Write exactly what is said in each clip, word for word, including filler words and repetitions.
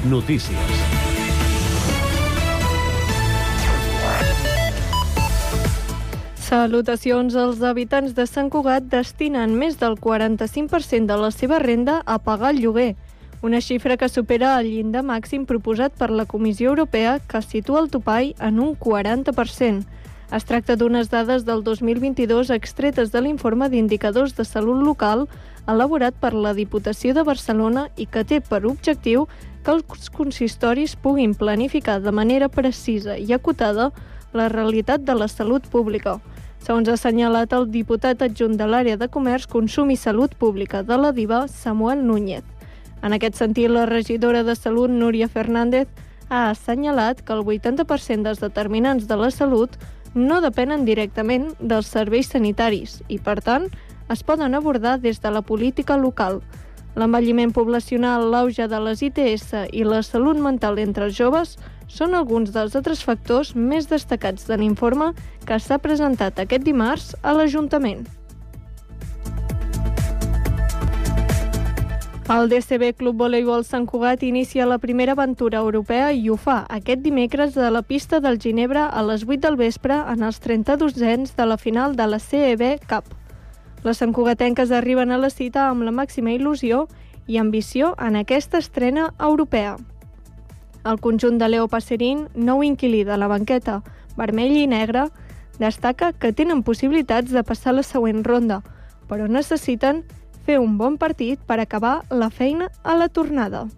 Notícies. Salutacions. Els habitants de Sant Cugat destinen més del quaranta-cinc per cent de la seva renda a pagar el lloguer, una xifra que supera el llindar màxim proposat per la Comissió Europea, que situa el topall en un quaranta per cent. Es tracta d'unes dades del dos mil vint-i-dos extretes de l'informe d'indicadors de salut local elaborat per la Diputació de Barcelona i que té per objectiu que els consistoris puguin planificar de manera precisa i acotada la realitat de la salut pública. Segons ha assenyalat el diputat adjunt de l'àrea de Comerç, Consum i Salut Pública de la DIVA, Samuel Núñez. En aquest sentit, la regidora de Salut, Núria Fernández, ha assenyalat que el vuitanta per cent dels determinants de la salut no depenen directament dels serveis sanitaris i, per tant, es poden abordar des de la política local. L'envelliment poblacional, l'auge de les I T S i la salut mental entre els joves són alguns dels altres factors més destacats de l'informe que s'ha presentat aquest dimarts a l'Ajuntament. El D C B Club Voleibol Sant Cugat inicia la primera aventura europea i ho fa aquest dimecres a la pista del Ginebra a les vuit del vespre en els trenta-dosens de la final de la C E B Cup. Les santcugatenques arriben a la cita amb la màxima il·lusió i ambició en aquesta estrena europea. El conjunt de Leo Passerín, nou inquilí de la banqueta vermell i negre, destaca que tenen possibilitats de passar la següent ronda, però necessiten fer un bon partit per acabar la feina a la tornada.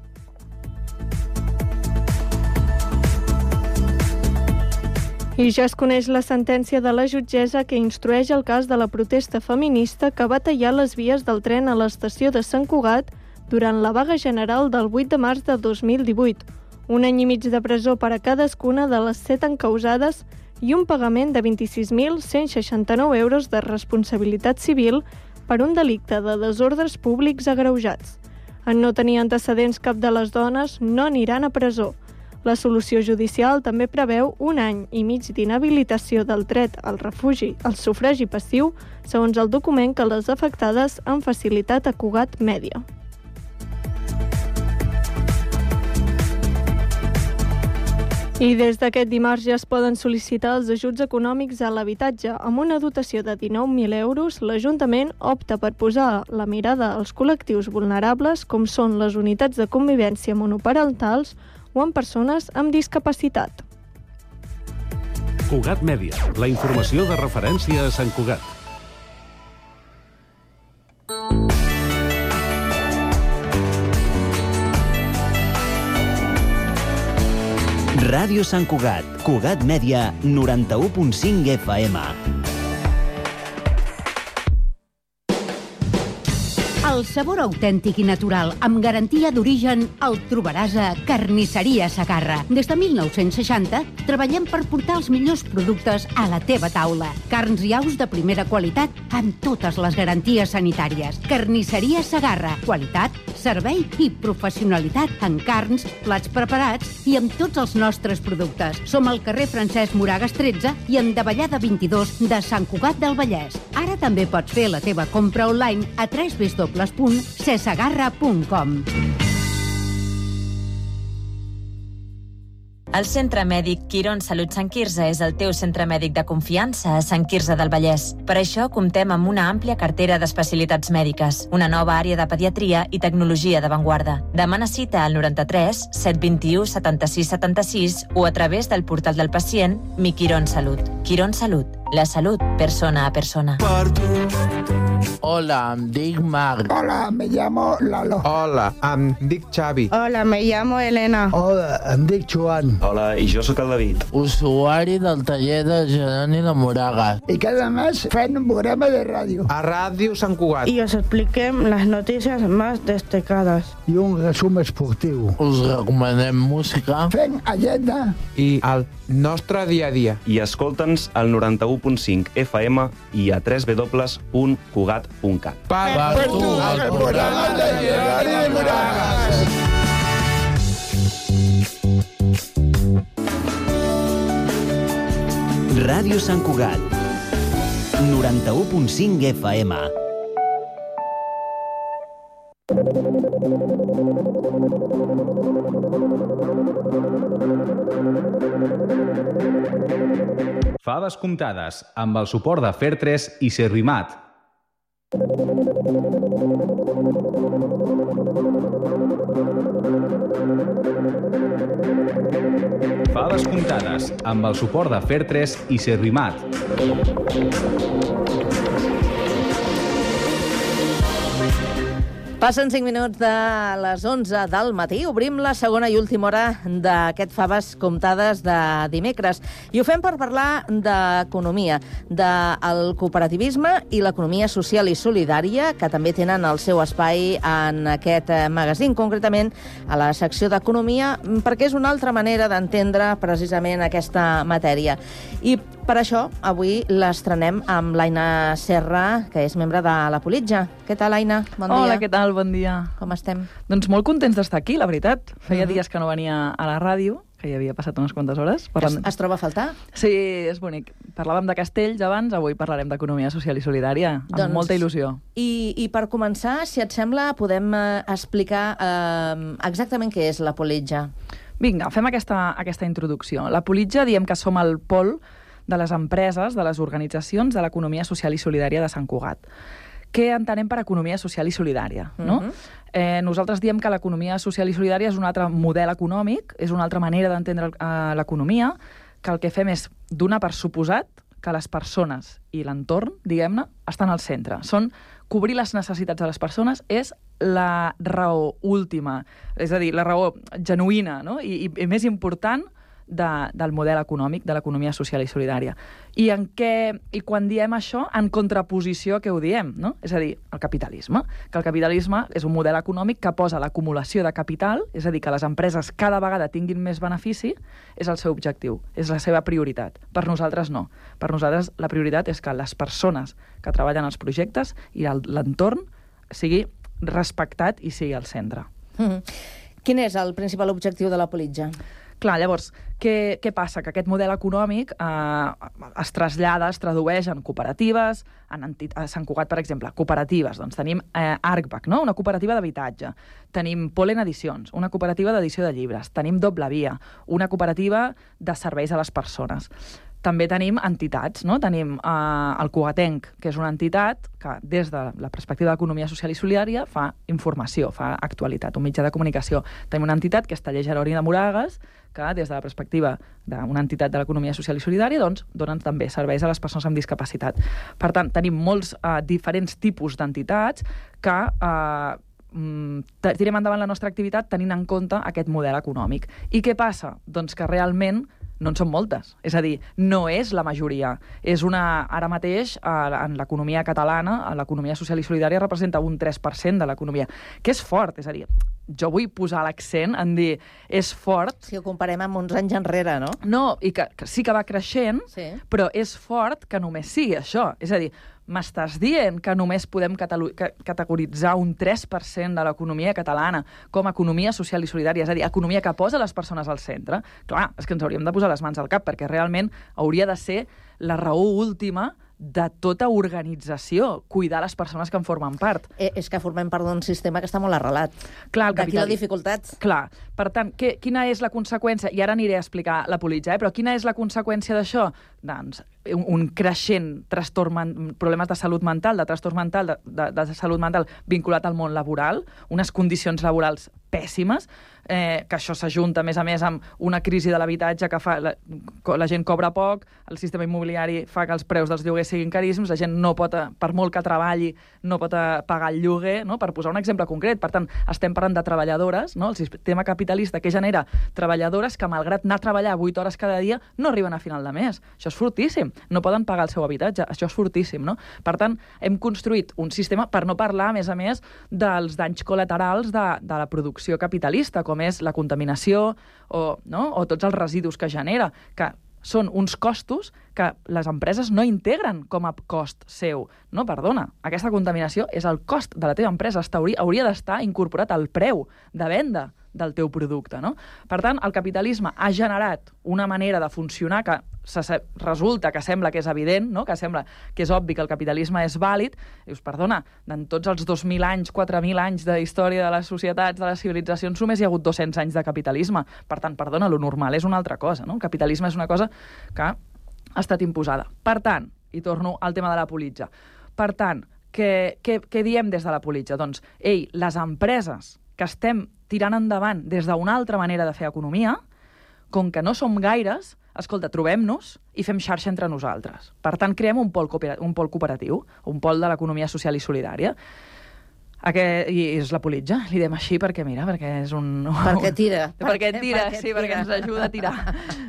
I ja es coneix la sentència de la jutgessa que instrueix el cas de la protesta feminista que va tallar les vies del tren a l'estació de Sant Cugat durant la vaga general del vuit de març de dos mil divuit. Un any i mig de presó per a cadascuna de les set encausades i un pagament de vint-i-sis mil cent seixanta-nou euros de responsabilitat civil per un delicte de desordres públics agreujats. En no tenir antecedents, cap de les dones no aniran a presó. La solució judicial també preveu un any i mig d'inhabilitació del dret al refugi, al sufragi passiu, segons el document que les afectades han facilitat a Cugat Mèdia. I des d'aquest dimarts ja es poden sol·licitar els ajuts econòmics a l'habitatge. Amb una dotació de dinou mil euros, l'Ajuntament opta per posar la mirada als col·lectius vulnerables, com són les unitats de convivència monoparentals o en persones amb discapacitat. Cugat Mèdia, la informació de referència a Sant Cugat. Ràdio Sant Cugat, Cugat Mèdia, noranta-u punt cinc F M. El sabor autèntic i natural, amb garantia d'origen, el trobaràs a Carnisseria Segarra. Des de mil nou-cents seixanta treballem per portar els millors productes a la teva taula. Carns i aus de primera qualitat amb totes les garanties sanitàries. Carnisseria Segarra. Qualitat, servei i professionalitat en carns, plats preparats i amb tots els nostres productes. Som al carrer Francesc Moragas tretze i en Davallada vint-i-dos de Sant Cugat del Vallès. Ara també pots fer la teva compra online a w w w punt cesegarra punt com. El Centre Mèdic Quirón Salut Sant Quirze és el teu centre mèdic de confiança a Sant Quirze del Vallès. Per això comptem amb una àmplia cartera d'especialitats mèdiques, una nova àrea de pediatria i tecnologia d'avantguarda. Demana cita al noranta-tres set vint-i-u setanta-sis setanta-sis o a través del portal del pacient Mi Quirón Salut. Quirón Salut, la salut persona a persona. Hola, em dic Marc. Hola, me llamo Lalo. Hola, em dic Xavi. Hola, me llamo Elena. Hola, em dic Joan. Hola, i jo sóc el David. Usuari del taller de Jeroni de Moragas. I cada mes fem un programa de ràdio. A Ràdio Sant Cugat. Y os expliquem las noticias más destacadas. I un resum esportiu. Us recomanem música. Fem agenda. I el nostre dia a dia. I escolta'ns al noranta-u punt cinc F M i a w w w punt cugat punt cat. Per, per tu, el programa de Jeroni de Moragas. Ràdio Sant Cugat, noranta-u punt cinc F M. Faves comptades, amb el suport de Fertres i Servimat. Faves comptades, amb el suport de Fertres i Servimat. Passen cinc minuts de les onze del matí. Obrim la segona i última hora d'aquest Faves comptades de dimecres. I ho fem per parlar d'economia, del cooperativisme i l'economia social i solidària, que també tenen el seu espai en aquest magazín, concretament a la secció d'economia, perquè és una altra manera d'entendre precisament aquesta matèria. I per això, avui l'estrenem amb l'Aina Serra, que és membre de la Politja. Què tal, Aina? Bon dia. Hola, què tal? Bon dia. Com estem? Doncs molt contents d'estar aquí, la veritat. Feia Uh-huh. dies que no venia a la ràdio, que ja havia passat unes quantes hores. Parlant... Es, es troba a faltar? Sí, és bonic. Parlàvem de castells abans, avui parlarem d'economia social i solidària, amb doncs, molta il·lusió. I, I per començar, si et sembla, podem eh, explicar eh, exactament què és la Politja. Vinga, fem aquesta, aquesta introducció. La Politja diem que som el pol de les empreses, de les organitzacions de l'economia social i solidària de Sant Cugat. Què entenem per economia social i solidària? No? Uh-huh. eh, nosaltres diem que l'economia social i solidària és un altre model econòmic, és una altra manera d'entendre eh, l'economia, que el que fem és donar per suposat que les persones i l'entorn, diguem-ne, estan al centre. Són cobrir les necessitats de les persones és la raó última, és a dir, la raó genuïna, no? I, i, i més important de, del model econòmic, de l'economia social i solidària. I, en què, I quan diem això, en contraposició a què ho diem, no? És a dir, el capitalisme. Que el capitalisme és un model econòmic que posa l'acumulació de capital, és a dir, que les empreses cada vegada tinguin més benefici, és el seu objectiu, és la seva prioritat. Per nosaltres no. Per nosaltres la prioritat és que les persones que treballen als projectes i l'entorn sigui respectat i sigui al centre. Mm-hmm. Quin és el principal objectiu de la Politja? Clar, llavors, què, què passa? Que aquest model econòmic eh, es trasllada, es tradueix en cooperatives, en enti- a Sant Cugat, per exemple, cooperatives. Doncs tenim eh, Arcbac, no? Una cooperativa d'habitatge. Tenim Polen Edicions, una cooperativa d'edició de llibres. Tenim Doble Via, una cooperativa de serveis a les persones. També tenim entitats, no? Tenim eh, el Cugatenc, que és una entitat que des de la perspectiva d'economia social i solidària fa informació, fa actualitat, un mitjà de comunicació. Tenim una entitat que és Taller Jeroni de Moragues, que des de la perspectiva d'una entitat de l'economia social i solidària doncs, donen també serveis a les persones amb discapacitat. Per tant, tenim molts eh, diferents tipus d'entitats que eh, tirem endavant la nostra activitat tenint en compte aquest model econòmic. I què passa? Doncs que realment no en són moltes. És a dir, no és la majoria. És una, ara mateix, en l'economia catalana, l'economia social i solidària representa un tres per cent de l'economia, que és fort. És a dir, jo vull posar l'accent en dir, és fort... Si ho comparem amb uns anys enrere, no? No, i que, que sí que va creixent, sí. Però és fort que només sigui això. És a dir, m'estàs dient que només podem categoritzar un tres per cent de l'economia catalana com a economia social i solidària, és a dir, economia que posa les persones al centre? Clar, és que ens hauríem de posar les mans al cap, perquè realment hauria de ser la raó última de tota organització, cuidar les persones que en formen part. Eh, és que formem part d'un sistema que està molt arrelat. Clar, d'aquí la dificultat. Clar. Per tant, que, quina és la conseqüència? I ara aniré a explicar la Politja, eh? Però quina és la conseqüència d'això? Doncs un, un creixent trastorn, problemes de salut mental, de trastorn mental, de, de, de salut mental vinculat al món laboral, unes condicions laborals pèssimes, eh, que això s'ajunta, a més a més, amb una crisi de l'habitatge que fa la, la gent cobra poc, el sistema immobiliari fa que els preus dels lloguers siguin caríssims, la gent no pot, per molt que treballi, no pot pagar el lloguer, no? Per posar un exemple concret. Per tant, estem parlant de treballadores, no? El sistema capitalista que genera treballadores que, malgrat anar a treballar vuit hores cada dia, no arriben a final de mes. Això és fortíssim. No poden pagar el seu habitatge. Això és fortíssim, no? Per tant, hem construït un sistema, per no parlar, a més a més, dels danys col·laterals de, de la producció capitalista, com és la contaminació o, no? o tots els residus que genera, que són uns costos que les empreses no integren com a cost seu. No, perdona, aquesta contaminació és el cost de la teva empresa. Hauria, hauria d'estar incorporat al preu de venda del teu producte, no? Per tant, el capitalisme ha generat una manera de funcionar que resulta que sembla que és evident, no? Que sembla que és obvi que el capitalisme és vàlid. Dius, perdona, en tots els dos mil anys, quatre mil anys de història de les societats, de les civilitzacions, només hi ha hagut dos-cents anys de capitalisme. Per tant, perdona, lo normal és una altra cosa, no? El capitalisme és una cosa que ha estat imposada. Per tant, i torno al tema de la politja, per tant, què, què, què diem des de la politja? Doncs, ei, les empreses que estem tirant endavant des d'una altra manera de fer economia, com que no som gaires, escolta, trobem-nos i fem xarxa entre nosaltres. Per tant, creem un pol, un pol cooperatiu, un pol de l'economia social i solidària. Aquest, I és la politja, li diem així perquè, mira, perquè és un... Perquè tira. Perquè tira, perquè sí, tira. Perquè ens ajuda a tirar.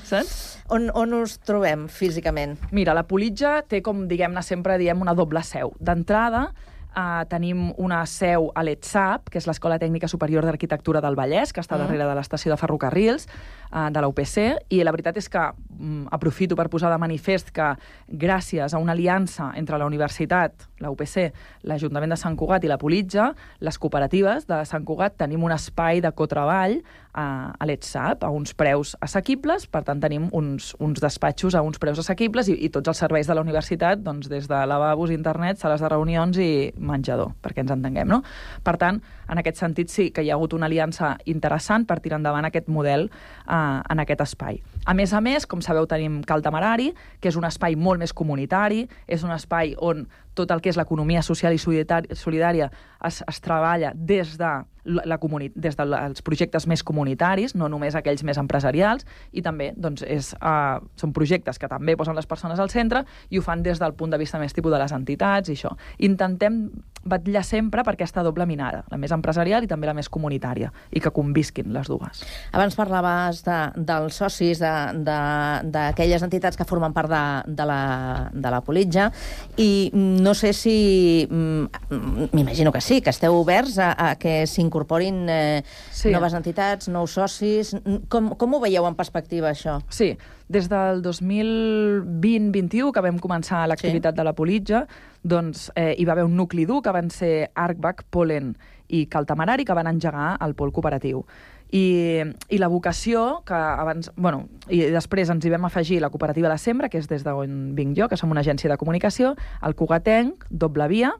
Saps? On, on us trobem físicament? Mira, la politja té, com diguem-ne, sempre diem una doble seu. D'entrada, Uh, tenim una seu a l'E T S A P, que és l'Escola Tècnica Superior d'Arquitectura del Vallès, que està darrere de l'estació de ferrocarrils, uh, de la U P C, i la veritat és que um, aprofito per posar de manifest que gràcies a una aliança entre la universitat, la U P C, l'Ajuntament de Sant Cugat i la Politja, les cooperatives de Sant Cugat tenim un espai de cotreball uh, a l'E T S A P a uns preus assequibles, per tant tenim uns, uns despatxos a uns preus assequibles i, i tots els serveis de la universitat, doncs, des de lavabos, internet, sales de reunions i menjador, perquè ens entenguem, no? Per tant, en aquest sentit sí que hi ha hagut una aliança interessant per tirar endavant aquest model eh, en aquest espai. A més a més, com sabeu, tenim Cal Temerari, que és un espai molt més comunitari, és un espai on tot el que és l'economia social i solidària es, es treballa des de la comuni- des dels projectes més comunitaris, no només aquells més empresarials, i també doncs, és, uh, són projectes que també posen les persones al centre i ho fan des del punt de vista més tipus de les entitats i això. Intentem vetllar sempre per aquesta doble mirada, la més empresarial i també la més comunitària, i que convisquin les dues. Abans parlaves de, dels socis d'aquelles entitats que formen part de, de, la, de la Politja, i no sé si, m'imagino que sí, que esteu oberts a, a que s'incorporin eh, sí. noves entitats, nous socis. Com, com ho veieu en perspectiva, això? Sí, des del dos mil vint vint u, que vam començar l'activitat sí. de la Politja, doncs eh, hi va haver un nucli dur que van ser Arcbac, Polen i Cal Temerari, que van engegar el pol cooperatiu. I, i la vocació, que abans, bueno, i després ens hi vam afegir la cooperativa La Sembra, que és des d'on vinc jo, que som una agència de comunicació, el Cugatenc, Doble Via,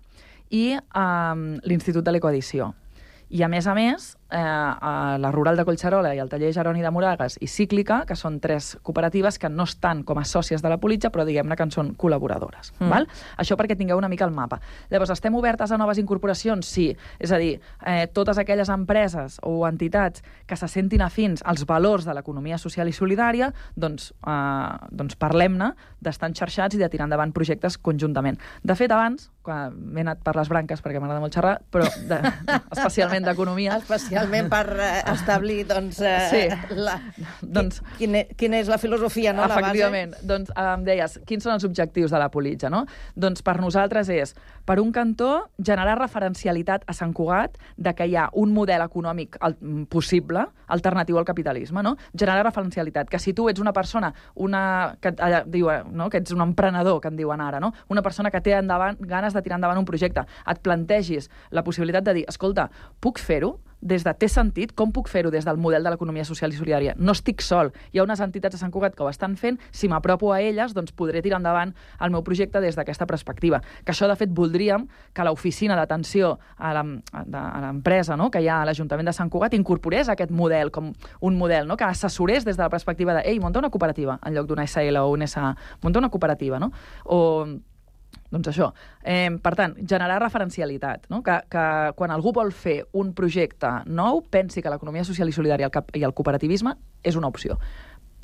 i um, l'Institut de l'Ecoedició. I, a més a més, eh, a la Rural de Collserola i el Taller Jeroni de Moragas i Cíclica, que són tres cooperatives que no estan com a sòcies de la Politja, però diguem-ne que en són col·laboradores. Mm. Val? Això perquè tingueu una mica el mapa. Llavors, estem obertes a noves incorporacions? Sí. És a dir, eh, totes aquelles empreses o entitats que se sentin afins als valors de l'economia social i solidària, doncs, eh, doncs parlem-ne d'estar enxarxats i de tirar endavant projectes conjuntament. De fet, abans, quan m'he anat per les branques perquè m'agrada molt xerrar, però de, especialment d'economia. Especialment per uh, establir, doncs, uh, sí. la, doncs quina, quina és la filosofia, no? Efectivament. La base? Doncs em deies, quins són els objectius de la Politja, no? Doncs per nosaltres és, per un cantó, generar referencialitat a Sant Cugat de que hi ha un model econòmic al, possible, alternatiu al capitalisme, no? Generar referencialitat, que si tu ets una persona, una, que, eh, diu, no? que ets un emprenedor, que en diuen ara, no? Una persona que té endavant, ganes de tirar endavant un projecte, et plantegis la possibilitat de dir, escolta, puc fer-ho? Des de té sentit, com puc fer-ho des del model de l'economia social i solidària? No estic sol. Hi ha unes entitats a Sant Cugat que ho estan fent. Si m'apropo a elles, doncs podré tirar endavant el meu projecte des d'aquesta perspectiva. Que això, de fet, voldríem que l'oficina d'atenció a l'empresa, no?, que hi ha a l'Ajuntament de Sant Cugat incorporés aquest model com un model, no?, que assessorés des de la perspectiva de ei, munta una cooperativa, en lloc d'una S L o una S A. Munta una cooperativa, no? O... Doncs això. Eh, per tant, generar referencialitat, no? que, que quan algú vol fer un projecte nou, pensi que l'economia social i solidària i el cooperativisme és una opció.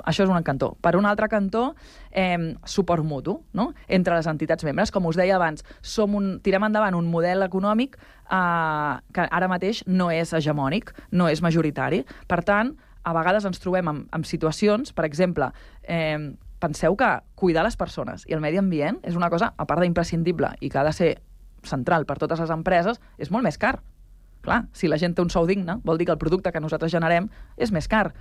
Això és un cantó. Per un altre cantó, eh, suport mutu, no?, entre les entitats membres. Com us deia abans, som un, tirem endavant un model econòmic eh, que ara mateix no és hegemònic, no és majoritari. Per tant, a vegades ens trobem amb, amb situacions, per exemple, eh, penseu que cuidar les persones i el medi ambient és una cosa, a part d'imprescindible i que ha de ser central per totes les empreses, és molt més car. Clar, si la gent té un sou digne, vol dir que el producte que nosaltres generem és més car.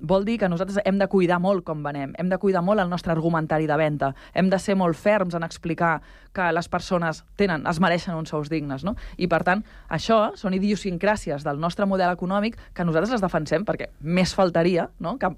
vol dir que nosaltres hem de cuidar molt com venem, hem de cuidar molt el nostre argumentari de venda, hem de ser molt ferms en explicar que les persones tenen, es mereixen uns sous dignes, no? I, per tant, això són idiosincràcies del nostre model econòmic que nosaltres les defensem, perquè més faltaria, no?, que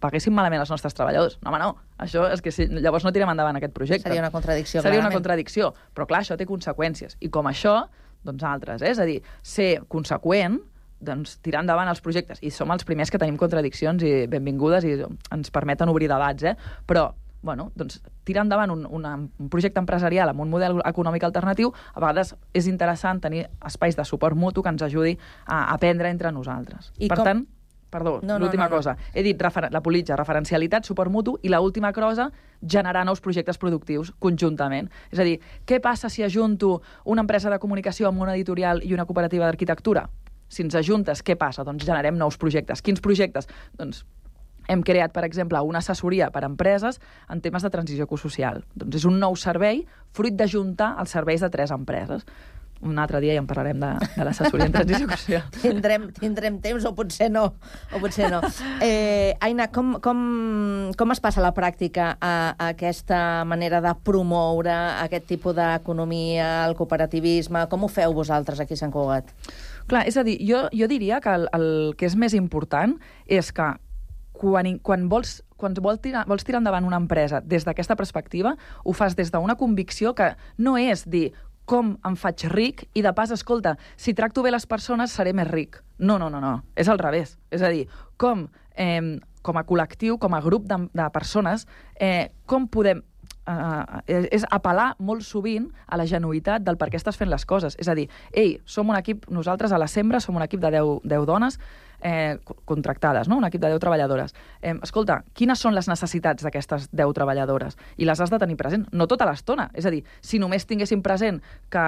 paguessin malament els nostres treballadors. No, home, no. Això és que si, llavors no tirem endavant aquest projecte. Seria una contradicció, Seria clarament. una contradicció. Però, clar, això té conseqüències. I com això, doncs altres, eh? És a dir, ser conseqüent, doncs tirar endavant els projectes. I som els primers que tenim contradiccions i benvingudes i ens permeten obrir debats, eh? Però, bueno, doncs tirar endavant un, una, un projecte empresarial amb un model econòmic alternatiu, a vegades és interessant tenir espais de suport mutu que ens ajudi a aprendre entre nosaltres. I per com... tant, perdó, no, no, l'última no, no. cosa. He dit refer la politja, referencialitat, suport mutu, i l'última cosa, generar nous projectes productius conjuntament. És a dir, què passa si ajunto una empresa de comunicació amb una editorial i una cooperativa d'arquitectura? Si ens ajuntes, què passa? Doncs generem nous projectes. Quins projectes? Doncs hem creat, per exemple, una assessoria per a empreses en temes de transició ecosocial. Doncs és un nou servei fruit d'ajuntar els serveis de tres empreses. Un altre dia ja en parlarem de, de l'assessoria en transició ecosocial. tindrem, tindrem temps, o potser no. O potser no. Eh, Aina, com, com, com es passa a la pràctica a, a aquesta manera de promoure aquest tipus d'economia, el cooperativisme? Com ho feu vosaltres aquí a Sant Cugat? Clar, és a dir, jo, jo diria que el, el que és més important és que quan, quan, vols, quan vols, tirar, vols tirar endavant una empresa des d'aquesta perspectiva, ho fas des d'una convicció que no és dir com em faig ric i de pas, escolta, si tracto bé les persones seré més ric. No, no, no, no. És al revés. És a dir, com, eh, com a col·lectiu, com a grup de, de persones, eh, com podem Uh, és apel·lar molt sovint a la genuïtat del per què estàs fent les coses. És a dir, ei, som un equip, nosaltres a la Sembra som un equip de deu dones eh, contractades, no? Un equip de deu treballadores. Eh, escolta, quines són les necessitats d'aquestes deu treballadores? I les has de tenir present, no tota l'estona. És a dir, si només tinguéssim present que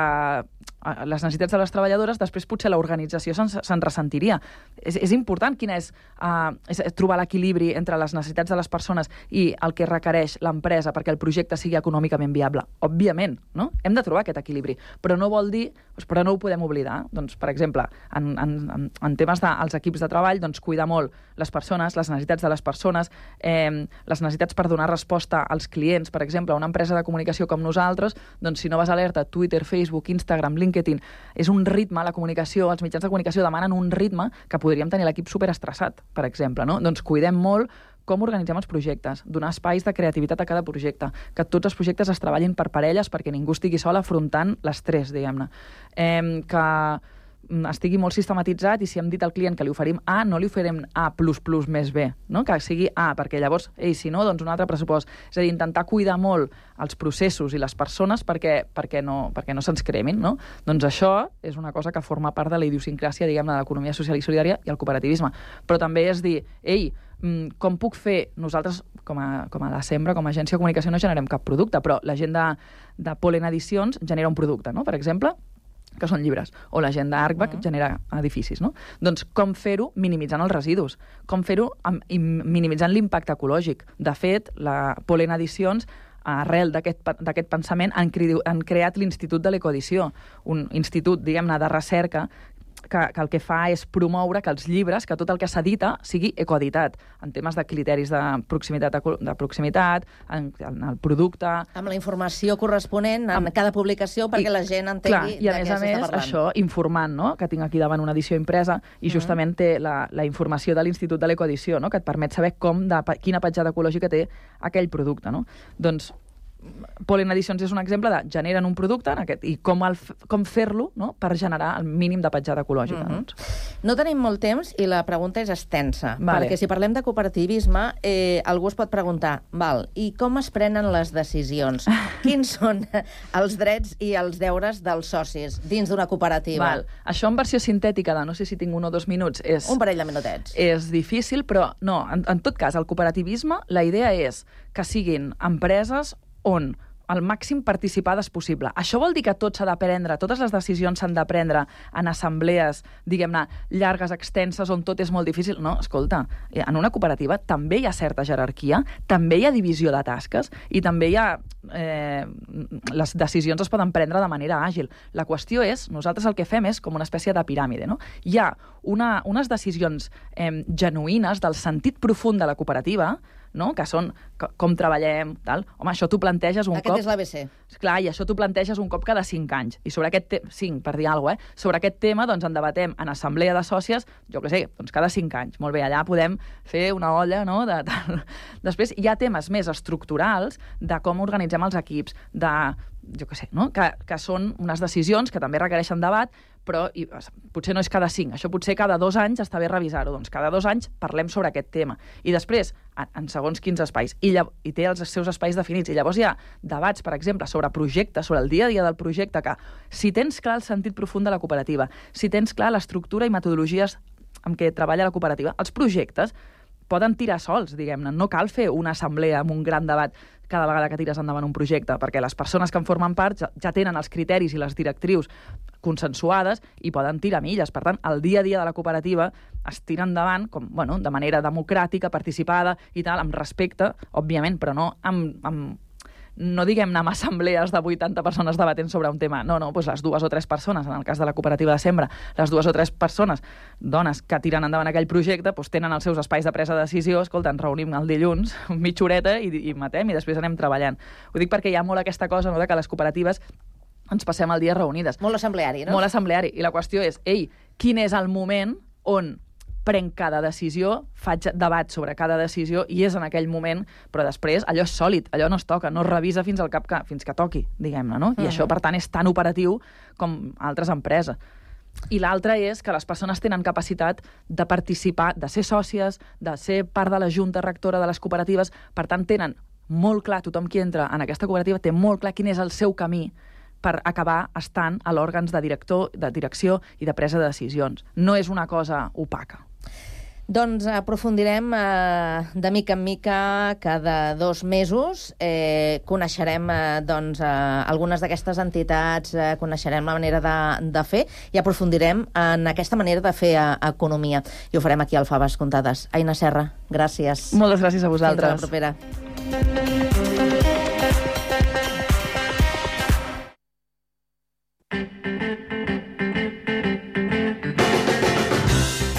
les necessitats de les treballadores, després potser l'organització se'n se ressentiria. És, és important quina és, uh, és trobar l'equilibri entre les necessitats de les persones i el que requereix l'empresa perquè el projecte sigui econòmicament viable. Òbviament, no? Hem de trobar aquest equilibri, però no vol dir, doncs, però no ho podem oblidar. Doncs, per exemple, en, en, en temes dels de, equips de treball, doncs, cuidar molt les persones, les necessitats de les persones, eh, les necessitats per donar resposta als clients. Per exemple, una empresa de comunicació com nosaltres, doncs, si no vas alerta, Twitter, Facebook, Instagram, LinkedIn, és un ritme, la comunicació, els mitjans de comunicació demanen un ritme que podríem tenir l'equip superestressat, per exemple, no? Doncs cuidem molt com organitzem els projectes, donar espais de creativitat a cada projecte, que tots els projectes es treballin per parelles perquè ningú estigui sol afrontant l'estrès, diguem-ne. Eh, que estigui molt sistematitzat i si hem dit al client que li oferim A, no li oferim A plus plus més B, no? Que sigui A, perquè llavors, ei, si no, doncs un altre pressupost. És a dir, intentar cuidar molt els processos i les persones perquè, perquè no, perquè no se'ns cremin, no? Doncs això és una cosa que forma part de la idiosincràsia, diguem-ne, de l'economia social i solidària i el cooperativisme. Però també és dir, ei, com puc fer? Nosaltres, com a, com a la Sembra, com a agència de comunicació, no generem cap producte, però la gent de, de Polen Edicions genera un producte, no? Per exemple, que són llibres, o la gent d'Arcbac uh -huh. genera edificis, no? Doncs com fer-ho minimitzant els residus, com fer-ho minimitzant l'impacte ecològic. De fet, la Polen Edicions, arrel d'aquest pensament, han, cre han creat l'Institut de l'Ecoedició, un institut, diguem-ne, de recerca que, que el que fa és promoure que els llibres, que tot el que s'edita sigui ecoeditat, en temes de criteris de proximitat, de proximitat en, en el producte... Amb la informació corresponent en amb, cada publicació perquè I, la gent entengui clar, i a més a més, això, informant, no? Que tinc aquí davant una edició impresa i justament uh -huh. té la, la informació de l'Institut de l'Ecoedició, no? Que et permet saber com de, quina petjada ecològica té aquell producte, no? Doncs Polen Edicions és un exemple de generen un producte en aquest, i com, el, com fer-lo, no? Per generar el mínim de petjada ecològica. Uh -huh. doncs. No tenim molt temps i la pregunta és extensa, vale. Perquè si parlem de cooperativisme, eh, algú es pot preguntar, val, i com es prenen les decisions? Quins són els drets i els deures dels socis dins d'una cooperativa? Val. Això en versió sintètica de no sé si tinc un o dos minuts és... Un parell de minutets. És difícil, però no, en, en tot cas, el cooperativisme, la idea és que siguin empreses on el màxim participades possible. Això vol dir que tot s'ha de prendre, totes les decisions s'han de prendre en assemblees, diguem-ne, llargues, extenses, on tot és molt difícil. No, escolta, en una cooperativa també hi ha certa jerarquia, també hi ha divisió de tasques i també hi ha... Eh, les decisions es poden prendre de manera àgil. La qüestió és, nosaltres el que fem és com una espècie de piràmide, no? Hi ha una, unes decisions eh, genuïnes del sentit profund de la cooperativa, no? Que són com treballem, tal. Home, això t'ho planteges un Aquest cop... és l'A B C. Clar, i això t'ho planteges un cop cada cinc anys. I sobre aquest tema, cinc, per dir alguna cosa, eh? Sobre aquest tema, doncs, en debatem en assemblea de sòcies, jo què sé, doncs cada cinc anys. Molt bé, allà podem fer una olla, no? De, de... Després hi ha temes més estructurals de com organitzem els equips, de... jo què sé, no? Que, que són unes decisions que també requereixen debat, però i, potser no és cada cinc, això potser cada dos anys està bé revisar-ho, doncs cada dos anys parlem sobre aquest tema. I després, en, en segons quins espais, i, llav- i té els seus espais definits, i llavors hi ha debats, per exemple, sobre projectes, sobre el dia a dia del projecte, que si tens clar el sentit profund de la cooperativa, si tens clar l'estructura i metodologies amb què treballa la cooperativa, els projectes poden tirar sols, diguem-ne. No cal fer una assemblea amb un gran debat cada vegada que tires endavant un projecte, perquè les persones que en formen part ja, ja tenen els criteris i les directrius consensuades i poden tirar milles. Per tant, el dia a dia de la cooperativa es tira endavant com, bueno, de manera democràtica, participada i tal, amb respecte, òbviament, però no amb... amb no diguem-ne amb assemblees de vuitanta persones debatent sobre un tema. No, no, doncs les dues o tres persones, en el cas de la cooperativa de sembra, les dues o tres persones, dones que tiren endavant aquell projecte, doncs tenen els seus espais de presa de decisió, escolta, ens reunim el dilluns, mitja horeta, i, i matem, i després anem treballant. Ho dic perquè hi ha molt aquesta cosa, no?, de que les cooperatives ens passem el dia reunides. Molt assembleari, no? Molt assembleari. I la qüestió és, ei, quin és el moment on prenc cada decisió, faig debat sobre cada decisió i és en aquell moment, però després allò és sòlid, allò no es toca, no es revisa fins al cap que, fins que toqui, diguem-ne, no? I Mm. això, per tant, és tan operatiu com altres empreses. I l'altre és que les persones tenen capacitat de participar, de ser sòcies, de ser part de la junta rectora de les cooperatives, per tant, tenen molt clar, tothom qui entra en aquesta cooperativa té molt clar quin és el seu camí per acabar estant a l'òrgans de director, de direcció i de presa de decisions. No és una cosa opaca. Doncs aprofundirem eh, de mica en mica cada dos mesos. Eh, coneixerem eh, doncs, eh, algunes d'aquestes entitats, eh, coneixerem la manera de, de fer i aprofundirem en aquesta manera de fer eh, economia. I ho farem aquí al Faves Comptades. Aina Serra, gràcies. Moltes gràcies a vosaltres. Fins a la propera.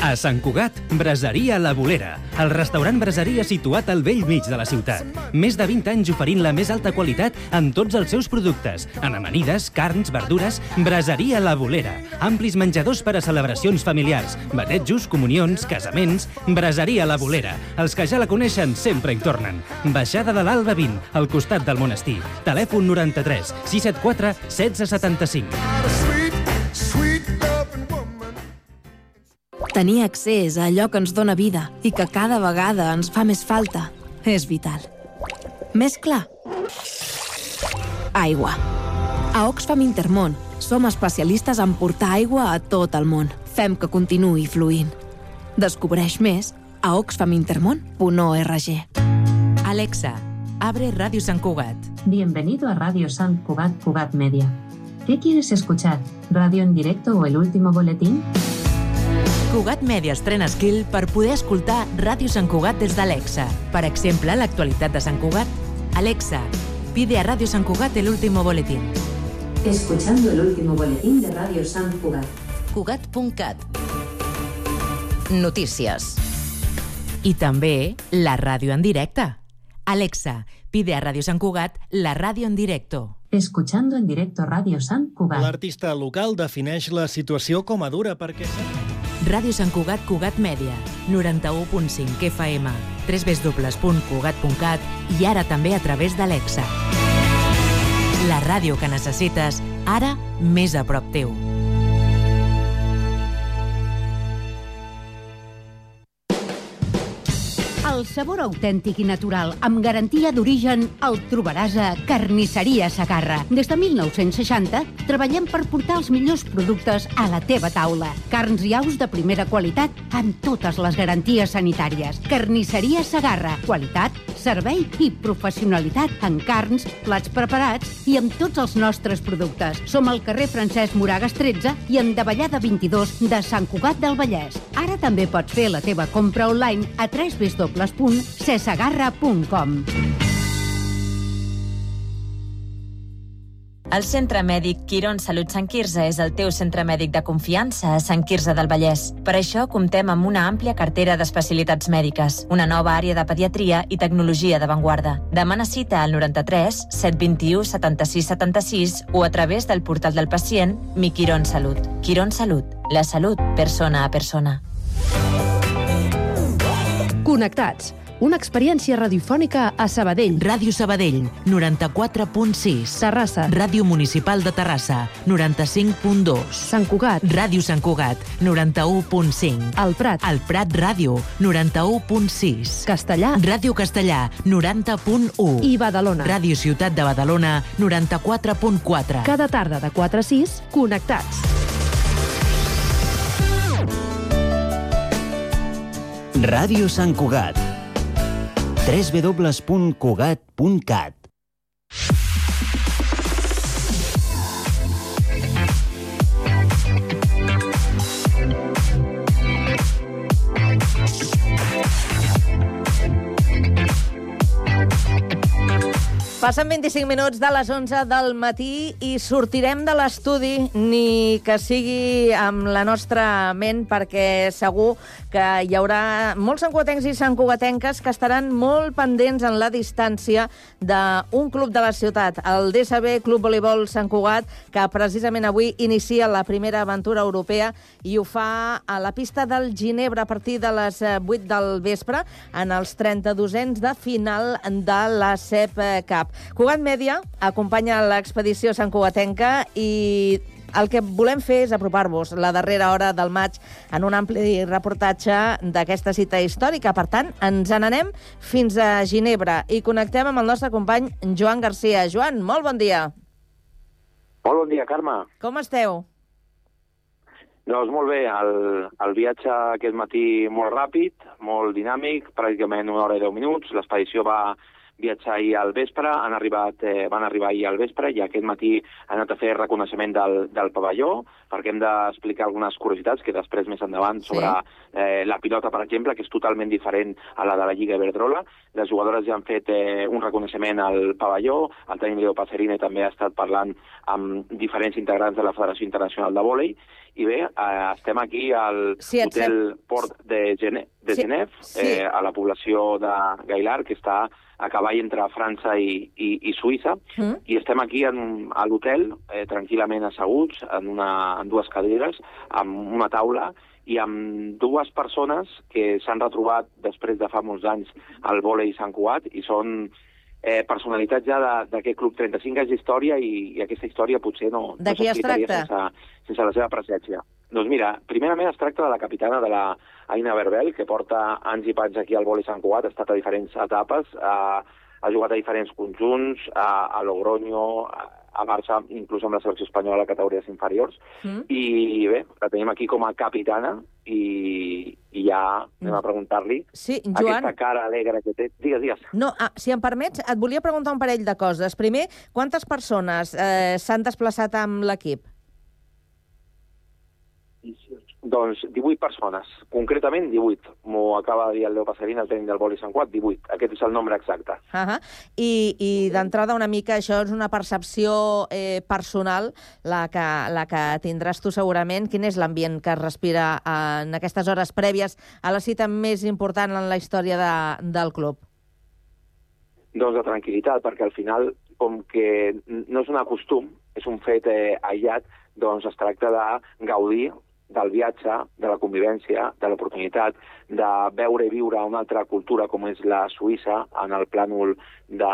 A Sant Cugat, Braseria La Bolera, el restaurant braseria situat al vell mig de la ciutat. Més de vint anys oferint la més alta qualitat en tots els seus productes, en amanides, carns, verdures. Braseria La Bolera, amplis menjadors per a celebracions familiars, batejos, comunions, casaments. Braseria La Bolera, els que ja la coneixen sempre hi tornen. Baixada de l'Alba vint, al costat del monestir. Telèfon noranta-tres sis set quatre setze setanta-cinc. Tenir accés a allò que ens dóna vida i que cada vegada ens fa més falta és vital. Més clar? Aigua. A Oxfam Intermón som especialistes en portar aigua a tot el món. Fem que continuï fluint. Descobreix més a oxfam intermón punt org. Alexa, abre Radio Sant Cugat. Bienvenido a Radio Sant Cugat Cugat Media. ¿Qué quieres escuchar? ¿Radio en directo o el último boletín? Cugat Media estrena skill per poder escoltar Ràdio Sant Cugat des d'Alexa. Per exemple, l'actualitat de Sant Cugat. Alexa, pide a Ràdio Sant Cugat el último boletín. Escuchando el último boletín de Radio Sant Cugat. Cugat punt cat. Notícies. I també la ràdio en directe. Alexa, pide a Ràdio Sant Cugat la ràdio en directo. Escuchando en directo Radio Sant Cugat. L'artista local defineix la situació com a dura perquè... Ràdio Sant Cugat Cugat Mèdia, noranta-u punt cinc F M, w w w punt cugat punt cat i ara també a través d'Alexa. La ràdio que necessites, ara més a prop teu. El sabor autèntic i natural, amb garantia d'origen, el trobaràs a Carnisseria Segarra. Des de mil nou-cents seixanta, treballem per portar els millors productes a la teva taula. Carns i aus de primera qualitat amb totes les garanties sanitàries. Carnisseria Segarra. Qualitat, servei i professionalitat en carns, plats preparats i amb tots els nostres productes. Som al carrer Francesc Moragas tretze i en Davallada vint-i-dos de Sant Cugat del Vallès. Ara també pots fer la teva compra online a w w w punt cesagarra punt com. El Centre Mèdic Quirón Salut Sant Quirze és el teu centre mèdic de confiança a Sant Quirze del Vallès. Per això comptem amb una àmplia cartera d'especialitats mèdiques, una nova àrea de pediatria i tecnologia d'avantguarda. Demana cita al noranta-tres set vint-i-u setanta-sis setanta-sis o a través del portal del pacient Mi Quirón Salut. Quirón Salut, la salut persona a persona. Connectats. Una experiència radiofònica a Sabadell. Ràdio Sabadell, noranta-quatre punt sis. Terrassa. Ràdio Municipal de Terrassa, noranta-cinc punt dos. Sant Cugat. Ràdio Sant Cugat, noranta-u punt cinc. El Prat. El Prat Ràdio, noranta-u punt sis. Castellà. Ràdio Castellà, noranta punt u. I Badalona. Ràdio Ciutat de Badalona, noranta-quatre punt quatre. Cada tarda de quatre a sis, connectats. Ràdio Sant Cugat. w w w punt cugat punt cat. Passen vint-i-cinc minuts de les onze del matí i sortirem de l'estudi, ni que sigui amb la nostra ment, perquè segur que hi haurà molts santcugatencs i santcugatenques que estaran molt pendents en la distància d'un club de la ciutat, el D S B Club Voleibol Sant Cugat, que precisament avui inicia la primera aventura europea i ho fa a la pista del Ginebra a partir de les vuit del vespre en els trenta-dosens de final de la C E P Cup. Cugat Mèdia acompanya l'expedició santcugatenca i el que volem fer és apropar-vos la darrera hora del maig en un ampli reportatge d'aquesta cita històrica. Per tant, ens n'anem fins a Ginebra i connectem amb el nostre company Joan Garcia. Joan, molt bon dia. Molt bon dia, Carme. Com esteu? Doncs molt bé, el, el viatge aquest matí molt ràpid, molt dinàmic, pràcticament una hora i deu minuts. L'expedició va viatjar ahir al vespre, han arribat, eh, van arribar ahir al vespre i aquest matí han anat a fer reconeixement del, del pavelló, perquè hem d'explicar algunes curiositats que després més endavant sobre sí. eh, la pilota, per exemple, que és totalment diferent a la de la Lliga Iberdrola. Les jugadores ja han fet eh, un reconeixement al pavelló, el tècnic Leo Passerine també ha estat parlant amb diferents integrants de la Federació Internacional de Vòlei. I bé, eh, estem aquí al sí, Hotel Port de, Gene de sí, Genève, sí. Eh, a la població de Gaillard, que està a cavall entre França i, i, i Suïssa, mm. i estem aquí en, a l'hotel, eh, tranquil·lament asseguts, en, una, en dues cadires, amb una taula, i amb dues persones que s'han retrobat després de fa molts anys al vòlei Sant Cugat, i són eh, personalitats ja d'aquest club, trenta-cinc anys d'història, i, i aquesta història potser no, no s'explicaria sense, sense la seva presència. Doncs mira, primerament es tracta de la capitana de la Aina Berbel, que porta anys i panys aquí al vòlei Sant Cugat, ha estat a diferents etapes, ha, ha jugat a diferents conjunts, a, a Logroño, a, a Barça, inclús amb la selecció espanyola a categories inferiors, mm. i bé, la tenim aquí com a capitana, i, i ja anem a preguntar-li sí, Joan, aquesta cara alegre que té. Digues, digues. No, ah, si em permets, et volia preguntar un parell de coses. Primer, quantes persones eh, s'han desplaçat amb l'equip? Doncs divuit persones, concretament divuit. M'ho acaba de dir el Leo Passerine, el tècnic del vòlei Sant Cugat, divuit. Aquest és el nombre exacte. Uh -huh. I, i d'entrada una mica això és una percepció eh, personal, la que, la que tindràs tu segurament. Quin és l'ambient que es respira en aquestes hores prèvies a la cita més important en la història de, del club? Doncs de tranquil·litat, perquè al final, com que no és un costum, és un fet eh, aïllat, doncs es tracta de gaudir del viatge, de la convivència, de l'oportunitat de veure i viure una altra cultura com és la Suïssa en el plànol de,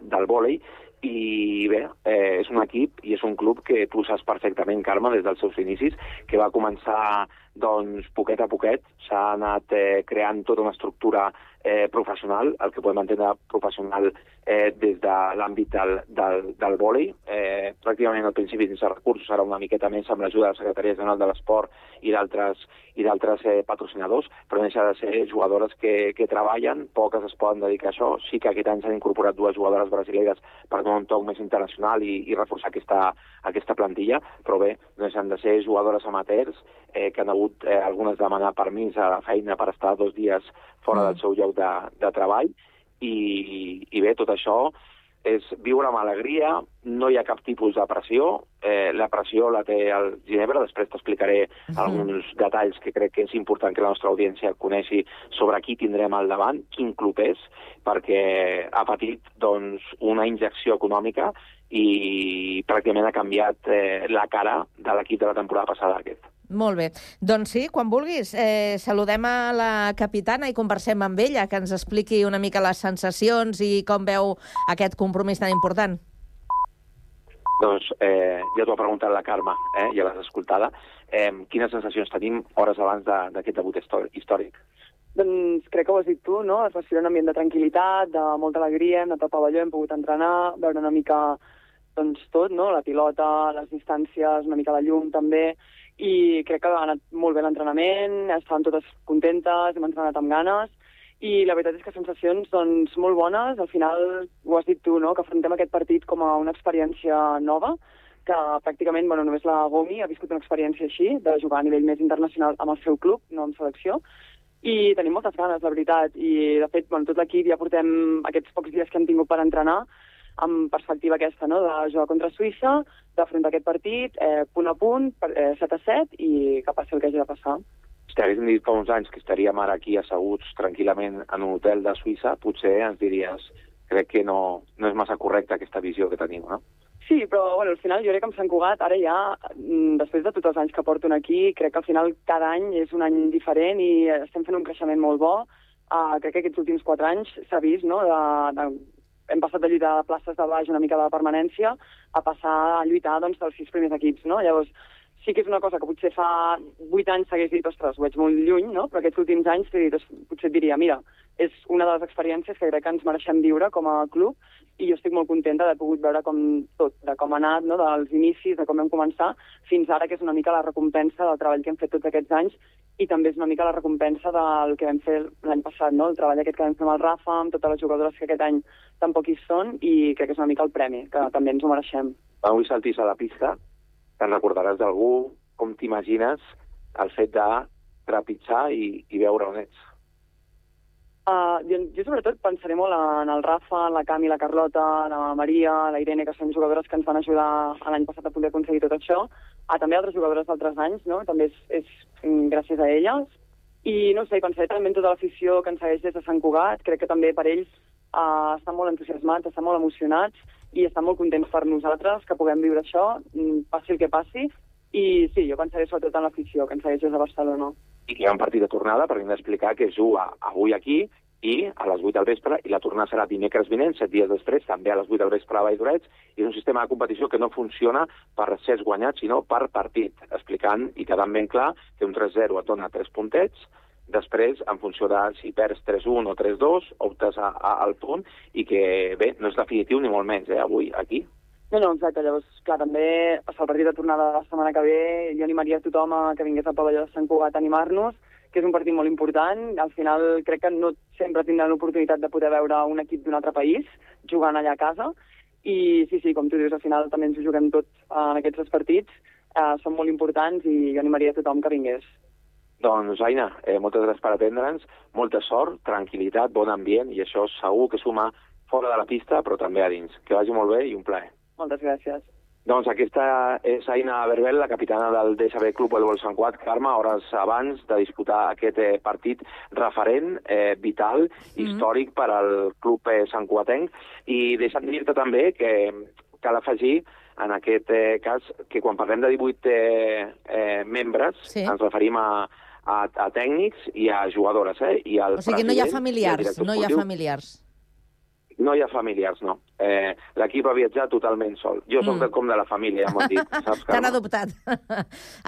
del vòlei. I bé, eh, és un equip i és un club que tu saps perfectament, Carme, des dels seus inicis, que va començar doncs, poquet a poquet, s'ha anat eh, creant tota una estructura eh, professional, el que podem entendre professional eh, des de l'àmbit del, del, del vòlei. Eh, pràcticament al principi sense recursos serà una miqueta més amb l'ajuda de la Secretaria General de l'Esport i d'altres i d'altres eh, patrocinadors, però no deixa de ser jugadores que, que treballen, poques es poden dedicar a això. Sí que aquest any s'han incorporat dues jugadores brasileres per donar un toc més internacional i, i reforçar aquesta, aquesta plantilla, però bé, no deixen de ser jugadores amateurs eh, que han hagut eh, algunes demanar permís a la feina per estar dos dies fora mm. del seu lloc de, de treball i, i bé, tot això és viure amb alegria, no hi ha cap tipus de pressió, eh, la pressió la té el Ginebra, després t'explicaré mm. alguns detalls que crec que és important que la nostra audiència coneixi sobre qui tindrem al davant, quin club és, perquè ha patit doncs, una injecció econòmica i pràcticament ha canviat eh, la cara de l'equip de la temporada passada aquest. Molt bé. Doncs sí, quan vulguis, eh, saludem a la capitana i conversem amb ella, que ens expliqui una mica les sensacions i com veu aquest compromís tan important. Doncs eh, ja t'ho ha preguntat la Carme, eh, ja l'has escoltada. Eh, quines sensacions tenim hores abans d'aquest debut històric? Doncs crec que ho has dit tu, no? Es respira un ambient de tranquil·litat, de molta alegria, hem anat al pavelló, hem pogut entrenar, veure una mica doncs, tot, no? La pilota, les distàncies, una mica la llum també, i crec que ha anat molt bé l'entrenament, estàvem totes contentes, hem entrenat amb ganes, i la veritat és que sensacions doncs, molt bones. Al final, ho has dit tu, no? Que afrontem aquest partit com a una experiència nova, que pràcticament bueno, només la Gomi ha viscut una experiència així, de jugar a nivell més internacional amb el seu club, no amb selecció, i tenim moltes ganes, la veritat, i de fet, bueno, tot l'equip ja portem aquests pocs dies que hem tingut per entrenar, amb perspectiva aquesta, no?, de jugar contra Suïssa, d'afrontar aquest partit, eh, punt a punt, eh, set a set, i que passi el que hagi de passar. Si t'haguéssim dit fa uns anys que estaríem ara aquí asseguts tranquil·lament en un hotel de Suïssa, potser ens diries, crec que no, no és massa correcta aquesta visió que tenim, no? Sí, però bueno, al final jo crec que amb Sant Cugat, ara ja, després de tots els anys que porto aquí, crec que al final cada any és un any diferent i estem fent un creixement molt bo. Uh, crec que aquests últims quatre anys s'ha vist, no?, de, de hem passat de lluitar de places de baix una mica de permanència a passar a lluitar doncs, dels sis primers equips, no? Llavors, sí que és una cosa que potser fa vuit anys s'hagués dit, ostres, ho veig molt lluny, no? Però aquests últims anys dit, potser et diria, mira, és una de les experiències que crec que ens mereixem viure com a club i jo estic molt contenta d'haver pogut veure com tot, de com ha anat, no? Dels inicis, de com vam començar, fins ara, que és una mica la recompensa del treball que hem fet tots aquests anys i també és una mica la recompensa del que vam fer l'any passat, no? El treball aquest que vam fer amb el Rafa, amb totes les jugadores que aquest any tampoc hi són, i crec que és una mica el premi, que també ens ho mereixem. Avui saltis a la pista, te'n recordaràs d'algú, com t'imagines el fet de trepitjar i, i veure on ets? Uh, jo, jo sobretot pensaré molt en el Rafa, en la Cami, la Carlota, la Maria, la Irene, que són jugadores que ens van ajudar l'any passat a poder aconseguir tot això, a també altres jugadores d'altres anys, no? També és, és gràcies a elles. I no sé, pensaré també en tota l'afició que ens segueix des de Sant Cugat, crec que també per ells uh, estan molt entusiasmats, estan molt emocionats i estan molt contents per nosaltres que puguem viure això, passi el que passi. I sí, jo pensaré sobretot en l'afició que ens segueix des de Barcelona. I que hi ha un partit de tornada, perquè hem d'explicar que es juga avui aquí i a les vuit del vespre, i la tornada serà dimecres vinent, set dies després, també a les vuit del vespre a Valldorets, i és un sistema de competició que no funciona per sets guanyats, sinó per partit, explicant i quedant ben clar que un tres zero et dona tres puntets, després, en funció de si perds tres un o tres dos, optes a, a, al punt, i que, bé, no és definitiu ni molt menys, eh, avui, aquí. No, no, exacte. Llavors, clar, també passar el partit de tornada de la setmana que ve, jo animaria a tothom a que vingués al pavelló de Sant Cugat a animar-nos, que és un partit molt important. Al final, crec que no sempre tindran l'oportunitat de poder veure un equip d'un altre país jugant allà a casa. I sí, sí, com tu dius, al final també ens ho juguem tots en aquests dos partits. Eh, són molt importants i jo animaria a tothom que vingués. Doncs, Aina, eh, moltes gràcies per atendre'ns, molta sort, tranquil·litat, bon ambient, i això segur que suma fora de la pista, però també a dins. Que vagi molt bé i un plaer. Moltes gràcies. Doncs aquesta és Aina Berbel, la capitana del D S B Club Voleibol Sant Cugat. Carme, hores abans de disputar aquest eh, partit referent, eh, vital, mm. històric per al club eh, santcugatenc. I deixa'm dir-te també que cal afegir en aquest eh, cas que quan parlem de divuit eh, eh, membres sí. ens referim a, a, a tècnics i a jugadores. Eh? I al o sigui, no hi ha familiars, no hi ha familiars. No hi ha familiars, no. Eh, L'equip ha viatjat totalment sol. Jo soc mm. com de la família, ja m'ho han dit. Saps, T'han adoptat.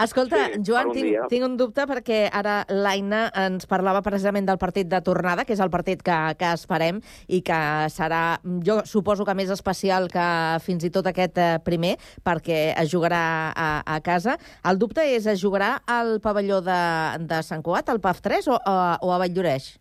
Escolta, sí, Joan, tinc, tinc un dubte perquè ara l'Aina ens parlava precisament del partit de tornada, que és el partit que, que esperem i que serà, jo suposo que més especial que fins i tot aquest primer, perquè es jugarà a, a casa. El dubte és, es jugarà al pavelló de, de Sant Cugat, al P A F tres, o, o, o a Valldoreix?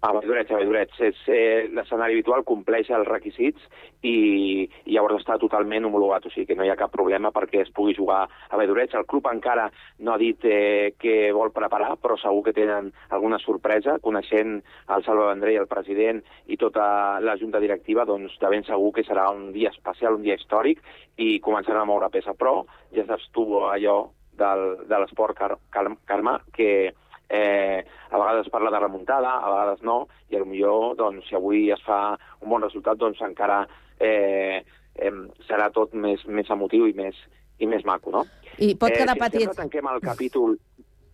A Valldoreix, a Valldoreix. Eh, l'escenari habitual compleix els requisits i, i llavors està totalment homologat, o sigui que no hi ha cap problema perquè es pugui jugar a Valldoreix. El club encara no ha dit eh, què vol preparar, però segur que tenen alguna sorpresa, coneixent el Salva Vendrell, el president i tota la junta directiva, doncs de ben segur que serà un dia especial, un dia històric, i començaran a moure peça. Però ja saps tu allò del, de l'esport, Car Carme, que Eh, a vegades parla de remuntada, a vegades no, i potser, doncs, si avui es fa un bon resultat, doncs encara eh, eh, serà tot més, més emotiu i més, i més maco, no? I pot quedar eh, si petit. Si tanquem el capítol...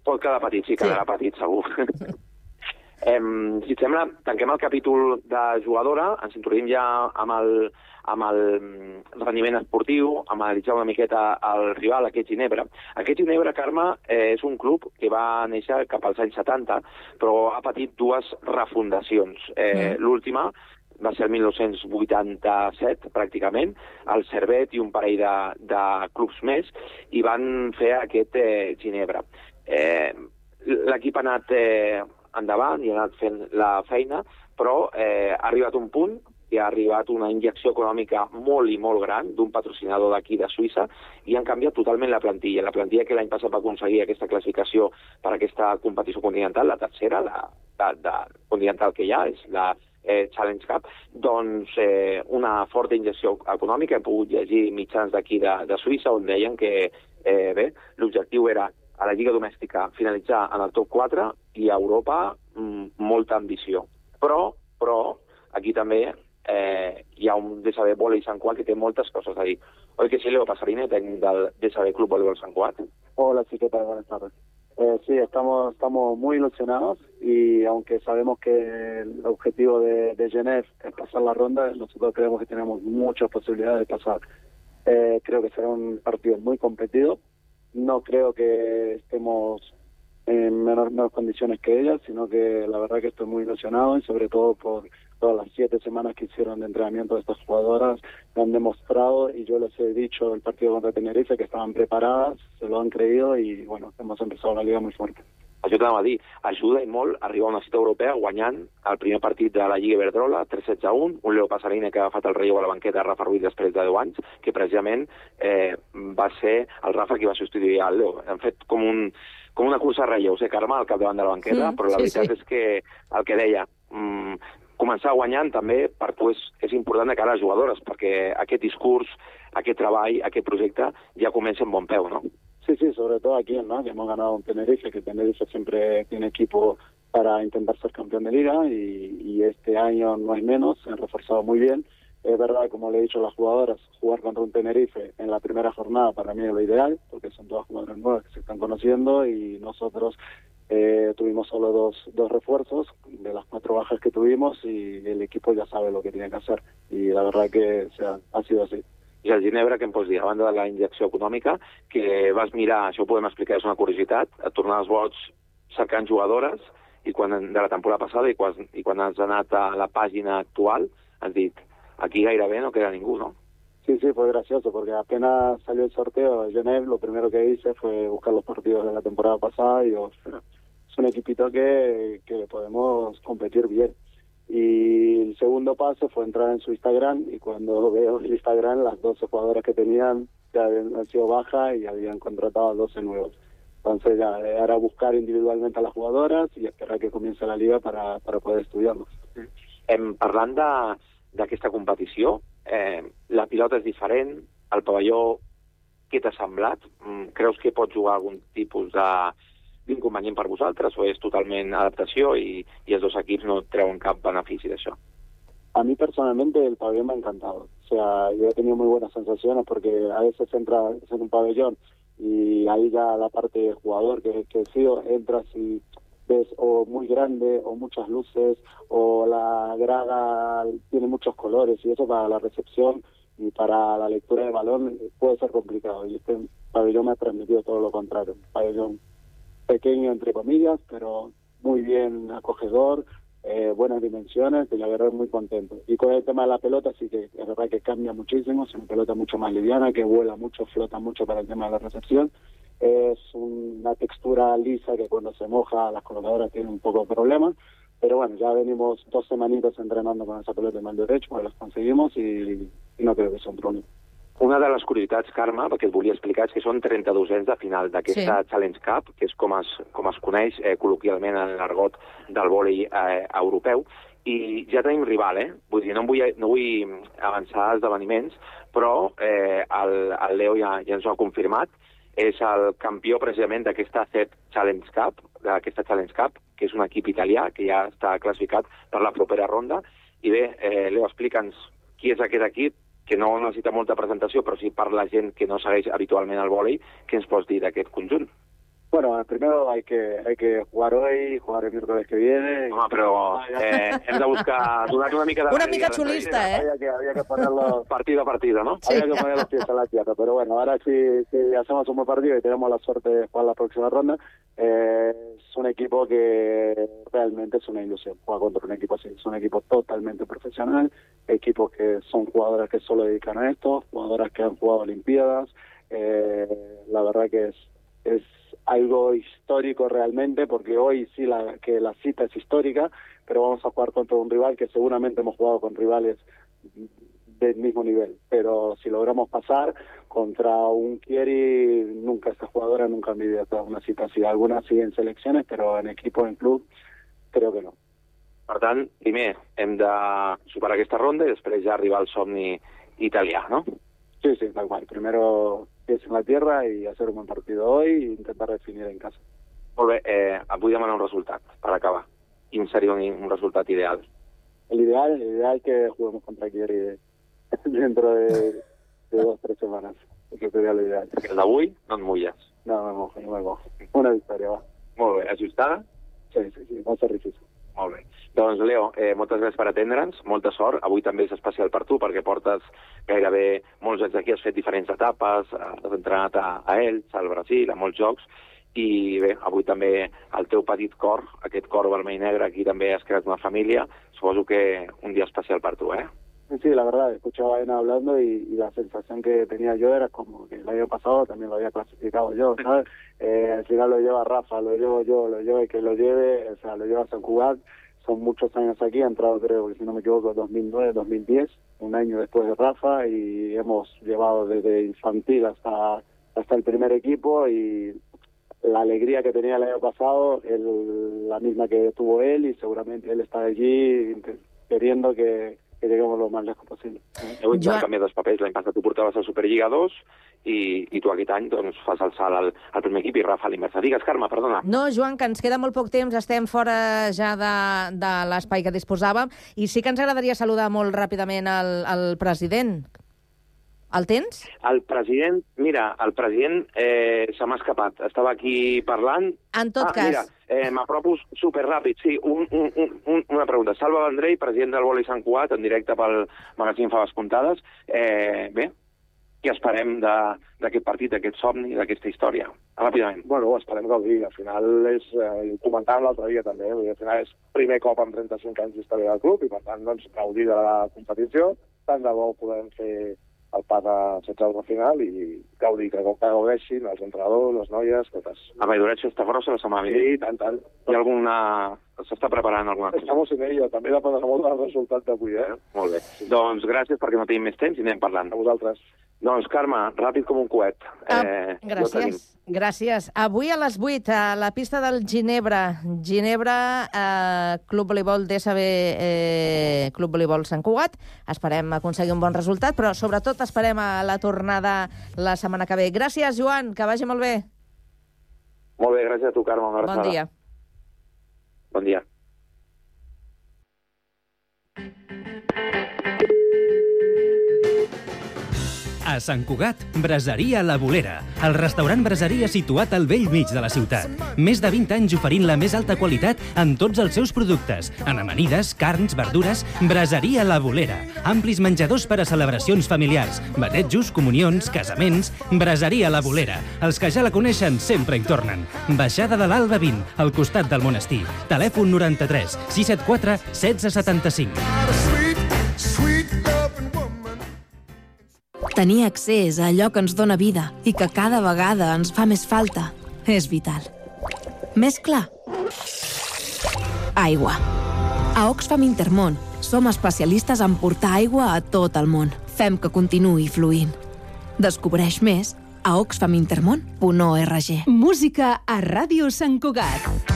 Pot quedar petit, sí, quedarà sí. petit, segur. eh, si et sembla, tanquem el capítol de jugadora, ens introduïm ja amb el, amb el rendiment esportiu, amb analitzar una miqueta el rival, aquest Ginebra. Aquest Ginebra, Carme, eh, és un club que va néixer cap als anys setanta, però ha patit dues refundacions. Eh, mm. L'última va ser el mil nou-cents vuitanta-set, pràcticament, el Servet i un parell de, de clubs més, i van fer aquest eh, Ginebra. Eh, L'equip ha anat eh, endavant i ha anat fent la feina, però eh, ha arribat un punt que ha arribat una injecció econòmica molt i molt gran d'un patrocinador d'aquí de Suïssa i han canviat totalment la plantilla. La plantilla que l'any passat va aconseguir aquesta classificació per a aquesta competició continental, la tercera, la de, de continental que hi ha, és la eh, Challenge Cup, doncs eh, una forta injecció econòmica. He pogut llegir mitjans d'aquí de, de Suïssa on deien que eh, bé, l'objectiu era a la Lliga Domèstica finalitzar en el top quatre i a Europa mm, molta ambició. Però, però aquí també Eh, hi ha un D S B Volley Sant Cugat que té moltes cosas ahí. Oi que sí, Leo Pasarine, técnico del D S B Club Voleibol Sant Cugat? Hola, sí, ¿qué tal? Buenas tardes. Eh, sí, estamos, estamos muy ilusionados y aunque sabemos que el objetivo de, de Genève es pasar la ronda, nosotros creemos que tenemos muchas posibilidades de pasar. Eh, creo que será un partido muy competido. No creo que estemos en menor, menor condiciones que ellas, sino que la verdad que estoy muy ilusionado y sobre todo por todas las siete semanas que hicieron de entrenamiento de estas jugadoras, me han demostrado, y yo les he dicho el partido contra Tenerife, que estaban preparadas, se lo han creído y bueno, hemos empezado la liga muy fuerte. Això t'anava a dir, ajuda i molt arribar a una cita europea guanyant el primer partit de la Lliga Iberdrola, tres setze a un, un Leo Pasarine que ha agafat el relleu a la banqueta de Rafa Ruiz després de deu anys, que precisament eh, va ser el Rafa qui va substituir el Leo. Han fet com, un, com una cursa de relleus, eh, Carme, al capdavant de la banqueta, mm, però la sí, veritat sí. és que el que deia, mm, començar guanyant també per tu és, és important de cara a les jugadores, perquè aquest discurs, aquest treball, aquest projecte ja comença amb bon peu, no? Sí, sí, sobre todo aquí, ¿no? Que hemos ganado en Tenerife, que Tenerife siempre tiene equipo para intentar ser campeón de liga y, y este año no es menos, se han reforzado muy bien. Es verdad, como le he dicho a las jugadoras, jugar contra un Tenerife en la primera jornada para mí es lo ideal, porque son todas jugadoras nuevas que se están conociendo y nosotros eh, tuvimos solo dos, dos refuerzos de las cuatro bajas que tuvimos y el equipo ya sabe lo que tiene que hacer y la verdad que o sea, ha sido así. I el Ginebra, què em pots dir? A banda de la injecció econòmica, que vas mirar, això ho podem explicar, és una curiositat, a tornar als vots cercant jugadores i quan, de la temporada passada i quan, i quan has anat a la pàgina actual has dit, aquí gairebé no queda ningú, ¿no? Sí, sí, fue gracioso, porque apenas salió el sorteo de Genève, lo primero que hice fue buscar los partidos de la temporada pasada y digo, es un equipito que, que podemos competir bien. Y el segundo paso fue entrar en su Instagram y cuando veo el Instagram las doce jugadoras que tenían ya habían sido bajas y habían contratado a doce nuevos. Entonces ya era buscar individualmente a las jugadoras y esperar que comience la liga para, para poder estudiarlos. Em, parlant d'aquesta competició, eh, la pilota és diferent, el pavelló, què t'ha semblat? Creus que pot jugar algun tipus de d'inconvenient per vosaltres o és totalmente adaptación y, y els dos equips no treuen cap benefici d'això? A mí personalmente el pabellón me ha encantado. O sea, yo he tenido muy buenas sensaciones porque a veces entras en un pabellón y ahí ya la parte de jugador que, que he sido, entras y ves o muy grande o muchas luces o la grada tiene muchos colores y eso para la recepción y para la lectura de balón puede ser complicado. Y este pabellón me ha transmitido todo lo contrario. Un pabellón pequeño, entre comillas, pero muy bien acogedor, eh, buenas dimensiones, y la verdad muy contento. Y con el tema de la pelota sí que es verdad que cambia muchísimo, es una pelota mucho más liviana, que vuela mucho, flota mucho para el tema de la recepción. Es una textura lisa que cuando se moja las colocadoras tienen un poco de problema, pero bueno, ya venimos dos semanitas entrenando con esa pelota de mal derecho, pues las conseguimos y, y no creo que sea un problema. Una de les curiositats, Carme, perquè et volia explicar, és que són trenta-dosens de final d'aquesta sí. Challenge Cup, que és com es, com es coneix eh, col·loquialment en l'argot del vòlei eh, europeu, i ja tenim rival, eh? Vull dir, no vull, no vull avançar esdeveniments, però eh, el, el Leo ja, ja ens ho ha confirmat, és el campió precisament d'aquesta C E T Challenge Cup, d'aquesta Challenge Cup, que és un equip italià que ja està classificat per la propera ronda. I bé, eh, Leo, explica'ns qui és aquest equip, que no necesita molta presentació, però sí per la gent que no segueix habitualment el vòlei, què ens pots dir d'aquest conjunt? Bueno, primero hay que hay que jugar hoy, jugar el miércoles que viene. No, pero eh, hem de buscar donar una mica de... Una mica chulista, ¿eh? Había que, había que ponerlo partido a partido, ¿no? Sí. Había que poner los pies a la tierra, pero bueno, ahora sí, sí hacemos un buen partido y tenemos la suerte de jugar la próxima ronda. Eh, es un equipo que realmente es una ilusión jugar contra un equipo así. Es un equipo totalmente profesional, equipos que son jugadoras que solo dedican a esto, jugadoras que han jugado Olimpiadas. Eh, la verdad que es es algo histórico realmente, porque hoy sí la, que la cita es histórica, pero vamos a jugar contra un rival que seguramente hemos jugado con rivales del mismo nivel, pero si logramos pasar contra un Chieri, nunca esta jugadora nunca han vivido una cita así. Algunas sí en selecciones, pero en equipo, en club, creo que no. Per tant, primer hem de superar aquesta ronda i després ja arribar al somni italià, no? Sí, sí, tal cual. Primero pies en la tierra y hacer un buen partido hoy e intentar definir en casa. Molt bé, eh, vull demanar un resultat per acabar. Quin seria un, un resultat ideal? El ideal, el ideal que juguemos contra Chieri dentro de, de dos o tres semanas. Eso sería lo ideal. El d'avui no et mulles. No, me mojo, no me mojo. Una victòria, va. Molt bé, ajustada? Sí, sí, sí, va ser difícil. Molt bé. Doncs, Leo, eh, moltes gràcies per atendre'ns, molta sort. Avui també és especial per tu, perquè portes gairebé molts anys aquí, has fet diferents etapes, has entrenat a, a Elx, al Brasil, a molts jocs, i bé, avui també el teu petit cor, aquest cor vermell i negre, aquí també has creat una família, suposo que un dia especial per tu, eh? Sí, la verdad, escuchaba a Ena hablando y, y la sensación que tenía yo era como que el año pasado también lo había clasificado yo, ¿sabes? Eh, al final lo lleva Rafa, lo llevo yo, lo llevo el que lo lleve, o sea, lo lleva Sant Cugat. Son muchos años aquí, ha entrado creo que si no me equivoco dos mil nueve, dos mil diez, un año después de Rafa, y hemos llevado desde infantil hasta, hasta el primer equipo, y la alegría que tenía el año pasado es la misma que tuvo él, y seguramente él está allí queriendo que, que lleguemos lo más lejos posible. Heu intercanviat els papers, l'any passat tu portaves a Superliga dos i, i tu aquest any doncs, fas el salt al, al primer equip i Rafa a l'inversa. Digues, Carme, perdona. No, Joan, que ens queda molt poc temps, estem fora ja de, de l'espai que disposàvem, i sí que ens agradaria saludar molt ràpidament el, el president. El tens? El president, mira, el president eh, se m'ha escapat. Estava aquí parlant. En tot ah, cas... Mira, eh, m'apropos superràpid, sí, un, un, un, una pregunta. Salva Vendrell, president del vòlei Sant Cugat, en directe pel magazín Faves Comptades. Eh, bé, què esperem d'aquest partit, d'aquest somni, d'aquesta història? Ràpidament. Bueno, esperem gaudir. Al final és, eh, ho comentàvem l'altre dia també, eh? Al final és primer cop en trenta-cinc anys d'història del club i per tant doncs, gaudir de la competició. Tant de bo podem fer el pas a setze de final i gaudir, que gaudeixin els entrenadors, les noies, totes. A Valldoretge està grossa la setmana vinent? Sí, tant, tant. Hi ha alguna... S'està preparant alguna cosa? Estamos en ello, també dependrà molt del resultat d'avui, eh? Molt bé. Sí. Doncs gràcies perquè no tenim més temps i anem parlant. A vosaltres. Doncs, Carme, ràpid com un coet. Ah, eh, gràcies. Gràcies. Avui a les vuit, a la pista del Ginebra. Ginebra, eh, Club Voleibol D S B, eh, Club Voleibol Sant Cugat. Esperem aconseguir un bon resultat, però sobretot esperem a la tornada la setmana que ve. Gràcies, Joan, que vagi molt bé. Molt bé, gràcies a tu, Carme. Una bon dia. Bon dia. A Sant Cugat, Braseria La Bolera, el restaurant braseria situat al vell mig de la ciutat. Més de vint anys oferint la més alta qualitat en tots els seus productes. En amanides, carns, verdures, Braseria La Bolera. Amplis menjadors per a celebracions familiars, batejos, comunions, casaments... Braseria La Bolera. Els que ja la coneixen sempre hi tornen. Baixada de l'Alba vint, al costat del monestir. Telèfon noranta-tres sis set quatre setze setanta-cinc. Tenir accés a allò que ens dóna vida i que cada vegada ens fa més falta és vital. Més clar? Aigua. A Oxfam Intermón som especialistes en portar aigua a tot el món. Fem que continuï fluint. Descobreix més a oxfam intermón punt org. Música a Ràdio Sant Cugat.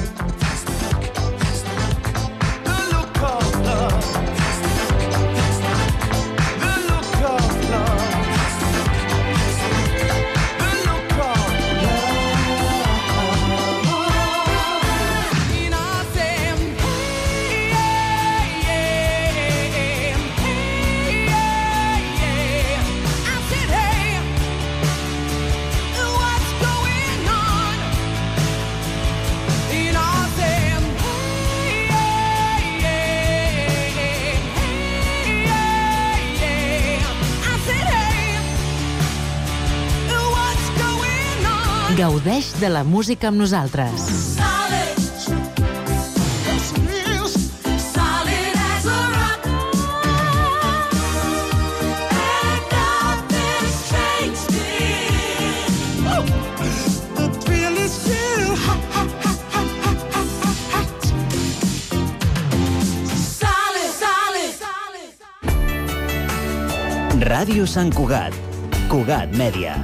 Gaudeix de la música amb nosaltres. Ràdio Sant Cugat. Cugat Mèdia.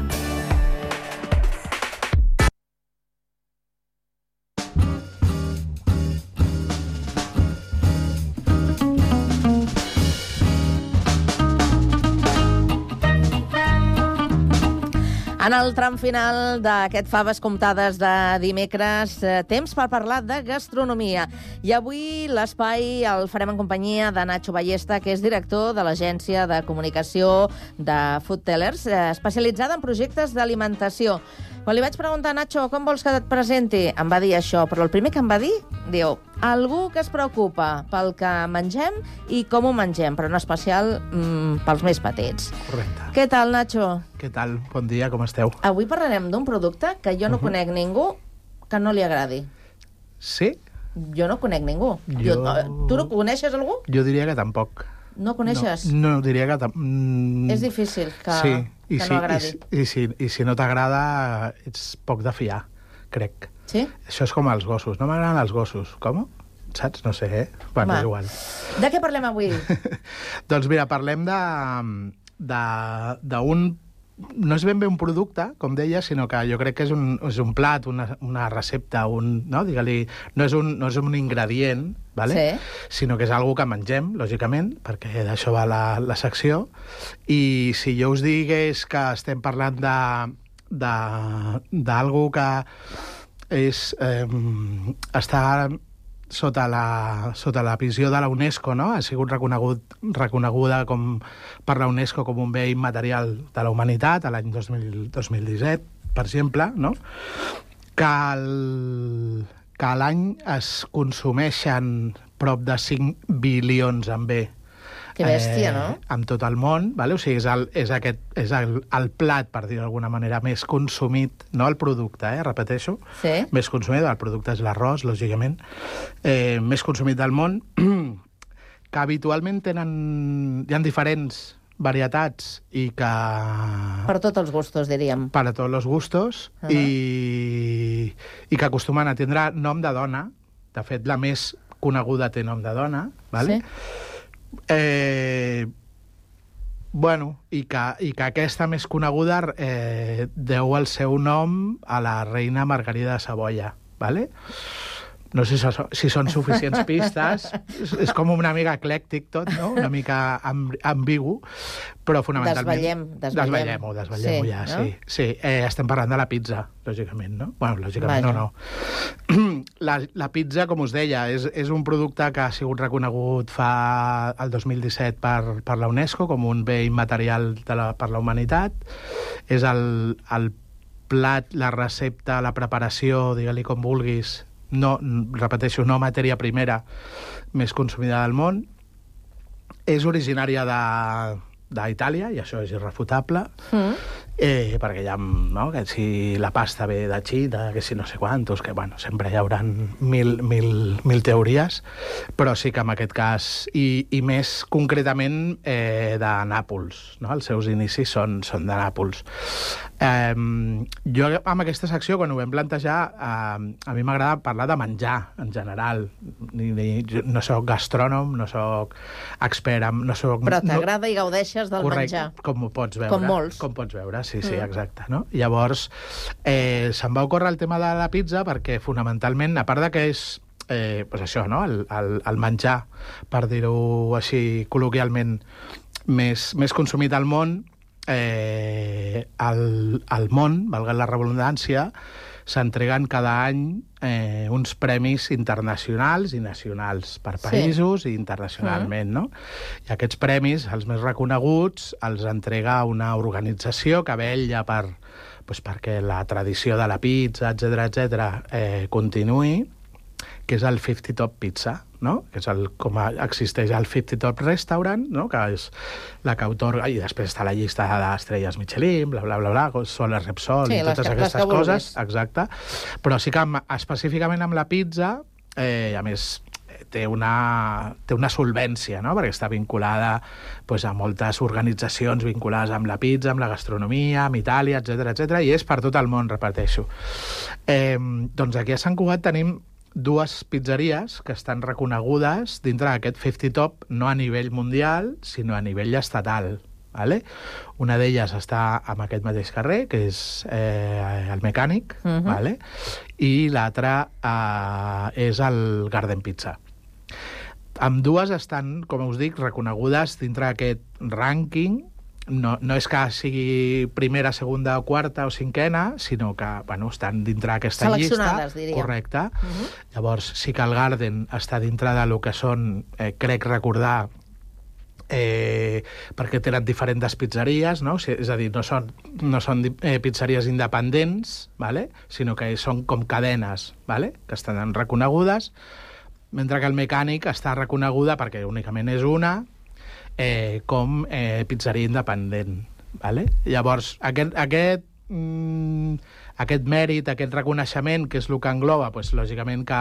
En el tram final d'aquest Faves Comptades de dimecres, eh, temps per parlar de gastronomia. I avui l'espai el farem en companyia de Nacho Ballesta, que és director de l'agència de comunicació de Food Tellers, eh, especialitzada en projectes d'alimentació. Quan li vaig preguntar, Nacho, com vols que et presenti? Em va dir això, però el primer que em va dir, diu, algú que es preocupa pel que mengem i com ho mengem, però en especial mm, pels més petits. Correcte. Què tal, Nacho? Què tal? Bon dia, com esteu? Avui parlarem d'un producte que jo no uh-huh. conec ningú que no li agradi. Sí? Jo no conec ningú. Jo... Jo, tu no coneixes algú? Jo diria que tampoc. No coneixes? No, no diria que... Mm... És difícil que, sí, que sí, no agradi. I, i, si, i si no t'agrada, ets poc de fiar, crec. Sí? Això és com els gossos. No m'agraden els gossos. Com? Saps? No sé, eh? Bueno, és igual. De què parlem avui? Doncs mira, parlem de d'un... No és ben bé un producte, com deia, sinó que jo crec que és un, és un plat, una, una recepta, un, no? Digue-li, no, és un, no és un ingredient, vale? Sí. Sinó que és algo que mengem, lògicament, perquè d'això va la, la secció. I si jo us digués que estem parlant de d'algo que és, eh, està sota la, sota la visió de la UNESCO, no? Ha sigut reconegut, reconeguda com, per la UNESCO com un bé immaterial de la humanitat a l'any dos mil disset, per exemple, no? Que, el, que a l'any es consumeixen prop de cinc bilions en bé. Que bèstia, eh, no? En tot el món, vale? O sigui, és, el, és, aquest, és el, el plat, per dir d'alguna manera, més consumit, no el producte, eh, repeteixo, sí. Més consumit, el producte és l'arròs, lògicament, eh, més consumit del món, que habitualment tenen, hi ha diferents varietats i que... Per tots els gustos, diríem. Per a tots els gustos, uh-huh. i, i que acostumen a tindre nom de dona. De fet, la més coneguda té nom de dona, vale? Sí. Eh, bueno, i que, i que aquesta més coneguda eh, deu el seu nom a la reina Margarida de Savoia, vale? no sé si són suficients pistes, és com una mica eclèctic tot, no? Una mica ambigu, però fonamentalment... Desvetllem, desvetllem. Desvetllem-ho, desvetllem-ho sí, ja, no? sí. sí. Eh, estem parlant de la pizza, lògicament, no? Bueno, lògicament Vaja. no, no. La, la pizza, com us deia, és, és un producte que ha sigut reconegut fa el dos mil disset per, per la UNESCO com un bé immaterial de la, per la humanitat. És el, el plat, la recepta, la preparació, digue-li com vulguis, no, repeteixo, no matèria primera més consumida del món. És originària de, d'Itàlia, i això és irrefutable, mm. eh, perquè hi ha, no, que si la pasta ve de Xina, que si no sé quantos, que bueno, sempre hi haurà mil, mil, mil teories, però sí que en aquest cas, i, i més concretament eh, de Nàpols, no? Els seus inicis són, són de Nàpols. Eh, jo amb aquesta secció, quan ho vam plantejar, eh, a mi m'agrada parlar de menjar, en general. Ni, ni, no soc gastrònom, no soc expert, en, no soc... Però t'agrada no... i gaudeixes del Correcte, menjar. Com ho pots veure. Com molts. Com pots veure, sí, sí, mm. exacte. No? Llavors, eh, se'm va ocórrer el tema de la pizza perquè, fonamentalment, a part de que és eh, pues això, no? el, el, el menjar, per dir-ho així col·loquialment, més, més consumit al món, eh, al, al món, valga la redundància, s'entreguen cada any eh, uns premis internacionals i nacionals per països sí. i internacionalment, mm. no? I aquests premis, els més reconeguts, els entrega una organització que vetlla per, pues, perquè la tradició de la pizza, etcètera, etcètera, eh, continuï, que és el fifty Top Pizza, no? Que és el, com existeix el fifty Top Restaurant, no? Que és la que autorga, i després està la llista d'estrelles Michelin, bla, bla, bla, bla, Sol Repsol, sí, i totes que, aquestes coses. Vulguis. Exacte. Però sí que amb, específicament amb la pizza, eh, a més, té una, té una solvència, no? Perquè està vinculada pues, a moltes organitzacions vinculades amb la pizza, amb la gastronomia, amb Itàlia, etcètera, etcètera, i és per tot el món, repeteixo. Eh, doncs aquí a Sant Cugat tenim dues pizzeries que estan reconegudes dintre d'aquest fifty Top, no a nivell mundial, sinó a nivell estatal. Vale? Una d'elles està en aquest mateix carrer, que és eh, el Mecànic, uh-huh. vale? I l'altra eh, és el Garden Pizza. Ambdues estan, com us dic, reconegudes dintre d'aquest rànquing. No, no és que sigui primera, segona, quarta o cinquena, sinó que bueno, estan dintre d'aquesta llista. Seleccionades, diria. Correcte. Uh-huh. Llavors, sí que el Garden està dintre de lo que són, eh, crec recordar, eh, perquè tenen diferents pizzeries, no? És a dir, no són, no són eh, pizzeries independents, ¿vale? Sinó que són com cadenes, ¿vale? Que estan reconegudes, mentre que el Mecànic està reconeguda perquè únicament és una, Eh, com eh, pizzeria independent. Vale? Llavors, aquest, aquest, mm, aquest mèrit, aquest reconeixement, que és el que engloba, pues, lògicament que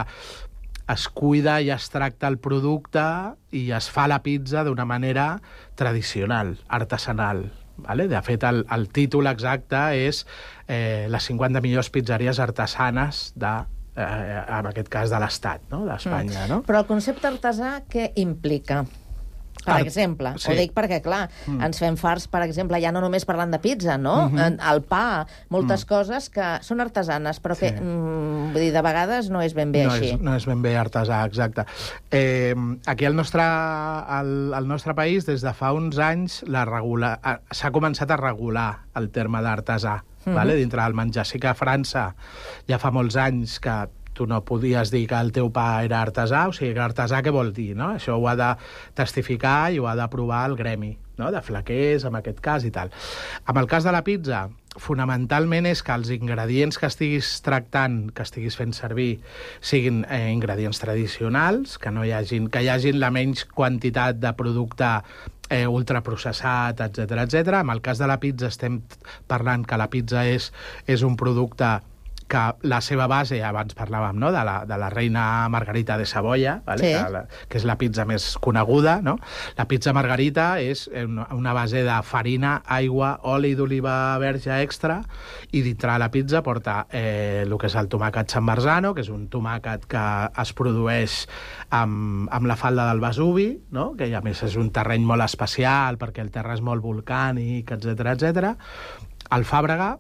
es cuida i es tracta el producte i es fa la pizza d'una manera tradicional, artesanal. Vale? De fet, el, el títol exacte és eh, les cinquanta millors pizzeries artesanes de eh, en aquest cas de l'Estat, no? d'Espanya. Mm. No? Però el concepte artesà què implica? Per exemple, sí. Ho dic perquè, clar, mm. ens fem farts, per exemple, ja no només parlant de pizza, no? Mm-hmm. El pa, moltes mm. coses que són artesanes, però que, sí. mm, vull dir, de vegades no és ben bé no així. És, no és ben bé artesà, exacte. Eh, aquí al nostre, al, al nostre país, des de fa uns anys, la regula... s'ha començat a regular el terme d'artesà, mm-hmm. vale? Dintre del menjar. Sí que a França ja fa molts anys que tu no podies dir que el teu pa era artesà, o sigui, que artesà què vol dir, no? Això ho ha de testificar i ho ha d'aprovar el gremi, no? De flaquers, en aquest cas, i tal. Amb el cas de la pizza, fonamentalment és que els ingredients que estiguis tractant, que estiguis fent servir, siguin eh, ingredients tradicionals, que no hi hagin, que hi hagin la menys quantitat de producte eh, ultraprocessat, etcètera, etcètera. En el cas de la pizza estem parlant que la pizza és, és un producte que la seva base, abans parlàvem, no? de, la, de la reina Margarita de Savoia, vale? Sí. que, la, que és la pizza més coneguda, no? La pizza Margarita és una, una base de farina, aigua, oli d'oliva verge extra, i dintre la pizza porta eh, el que és el tomàquet San Marzano, que és un tomàquet que es produeix amb, amb la falda del Vesuvi, no? Que a més és un terreny molt especial perquè el terra és molt volcànic, etcètera, etcètera. Alfàbrega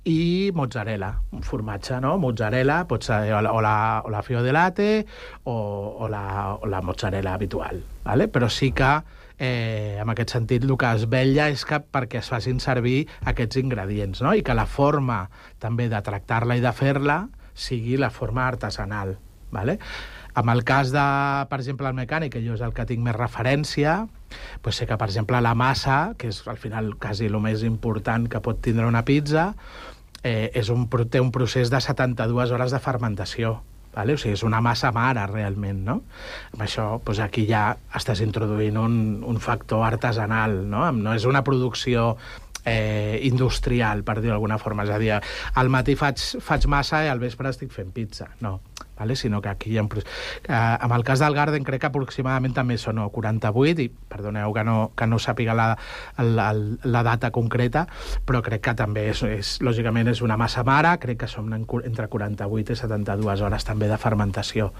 i mozzarella, un formatge, no? Mozzarella, pot ser o la, o la, o la fio de latte o, o, la, o la mozzarella habitual, ¿vale? Però sí que eh, en aquest sentit el que es vetlla és que perquè es facin servir aquests ingredients, no? I que la forma també de tractar-la i de fer-la sigui la forma artesanal, ¿vale? En el cas de, per exemple, el mecànic, que jo és el que tinc més referència, doncs sé que, per exemple, la massa, que és al final quasi el més important que pot tindre una pizza, eh, és un, té un procés de setanta-dues hores de fermentació. Vale? O sigui, és una massa mare, realment, no? Amb això, doncs aquí ja estàs introduint un, un factor artesanal, no? No és una producció eh, industrial, per dir-ho d'alguna forma. És a dir, al matí faig, faig massa i al vespre estic fent pizza. No. Vale? Sinó que aquí hi ha un... Eh, en el cas del Garden crec que aproximadament també són no, quaranta-vuit, i perdoneu que no, que no sàpiga la, la, la data concreta, però crec que també és, és, lògicament és una massa mare, crec que són entre quaranta-vuit i setanta-dues hores també de fermentació.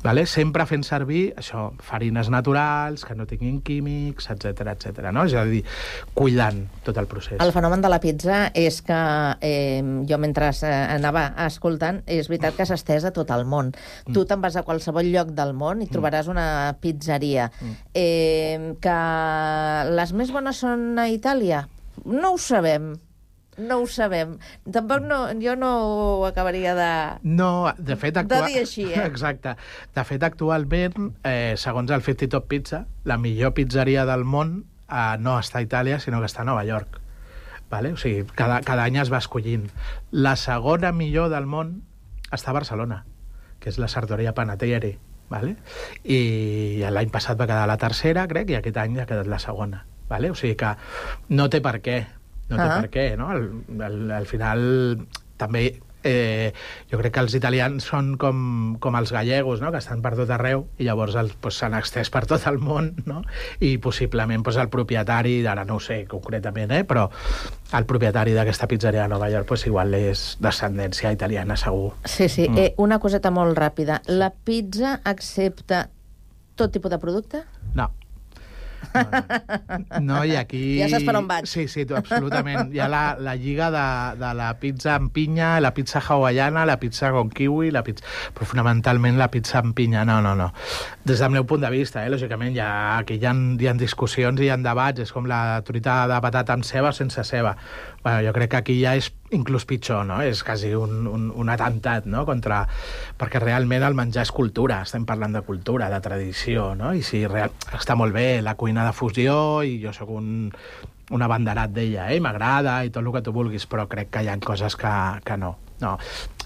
Vale? Sempre fent servir això, farines naturals, que no tinguin químics, etcètera, etcètera. No? És a dir, cuidant tot el procés. El fenomen de la pizza és que eh, jo mentre anava escoltant, és veritat que s'ha estès a tot el món. Mm. Tu te'n vas a qualsevol lloc del món i trobaràs mm. una pizzeria. Mm. Eh, que les més bones són a Itàlia? No ho sabem. No ho sabem. Tampoc no, jo no ho acabaria de... No, de fet... Actual... De dir així, eh? Exacte. De fet, actualment, eh, segons el cinquanta Top Pizza, la millor pizzeria del món eh, no està a Itàlia, sinó que està a Nova York. Vale? O sigui, cada, cada any es va escollint. La segona millor del món està a Barcelona, que és la Sartoria Panettiere. Vale? I l'any passat va quedar la tercera, crec, i aquest any ha quedat la segona. Vale? O sigui que no té per què. No té ah. per què, no? Al, al, al final, també, eh, jo crec que els italians són com, com els gallegos, no? Que estan per tot arreu, i llavors el, pues, s'han extès per tot el món, no? I possiblement pues, el propietari, ara no ho sé concretament, eh? Però el propietari d'aquesta pizzeria de Nova York pues, igual és descendència italiana, segur. Sí, sí. Mm. Eh, una coseta molt ràpida. La pizza accepta tot tipus de producte? No. No, no. no, i aquí... Ja saps per on vaig. Sí, sí, tu, absolutament. Hi ha la, la lliga de, de la pizza amb pinya, la pizza hawaiana, la pizza con kiwi, la pizza... però fonamentalment la pizza amb pinya, no, no, no. Des del meu punt de vista, eh, lògicament, ja, aquí hi ha, hi ha discussions i hi ha debats, és com la truita de patata amb ceba o sense ceba. Bueno, jo crec que aquí ja és inclús pitjor, no? És quasi un, un, un atemptat, no? Contra... Perquè realment el menjar és cultura, estem parlant de cultura, de tradició, no? I si real... està molt bé la cuina de fusió, i jo sóc un, un abanderat d'ella, eh? M'agrada i tot el que tu vulguis, però crec que hi ha coses que, que no. No.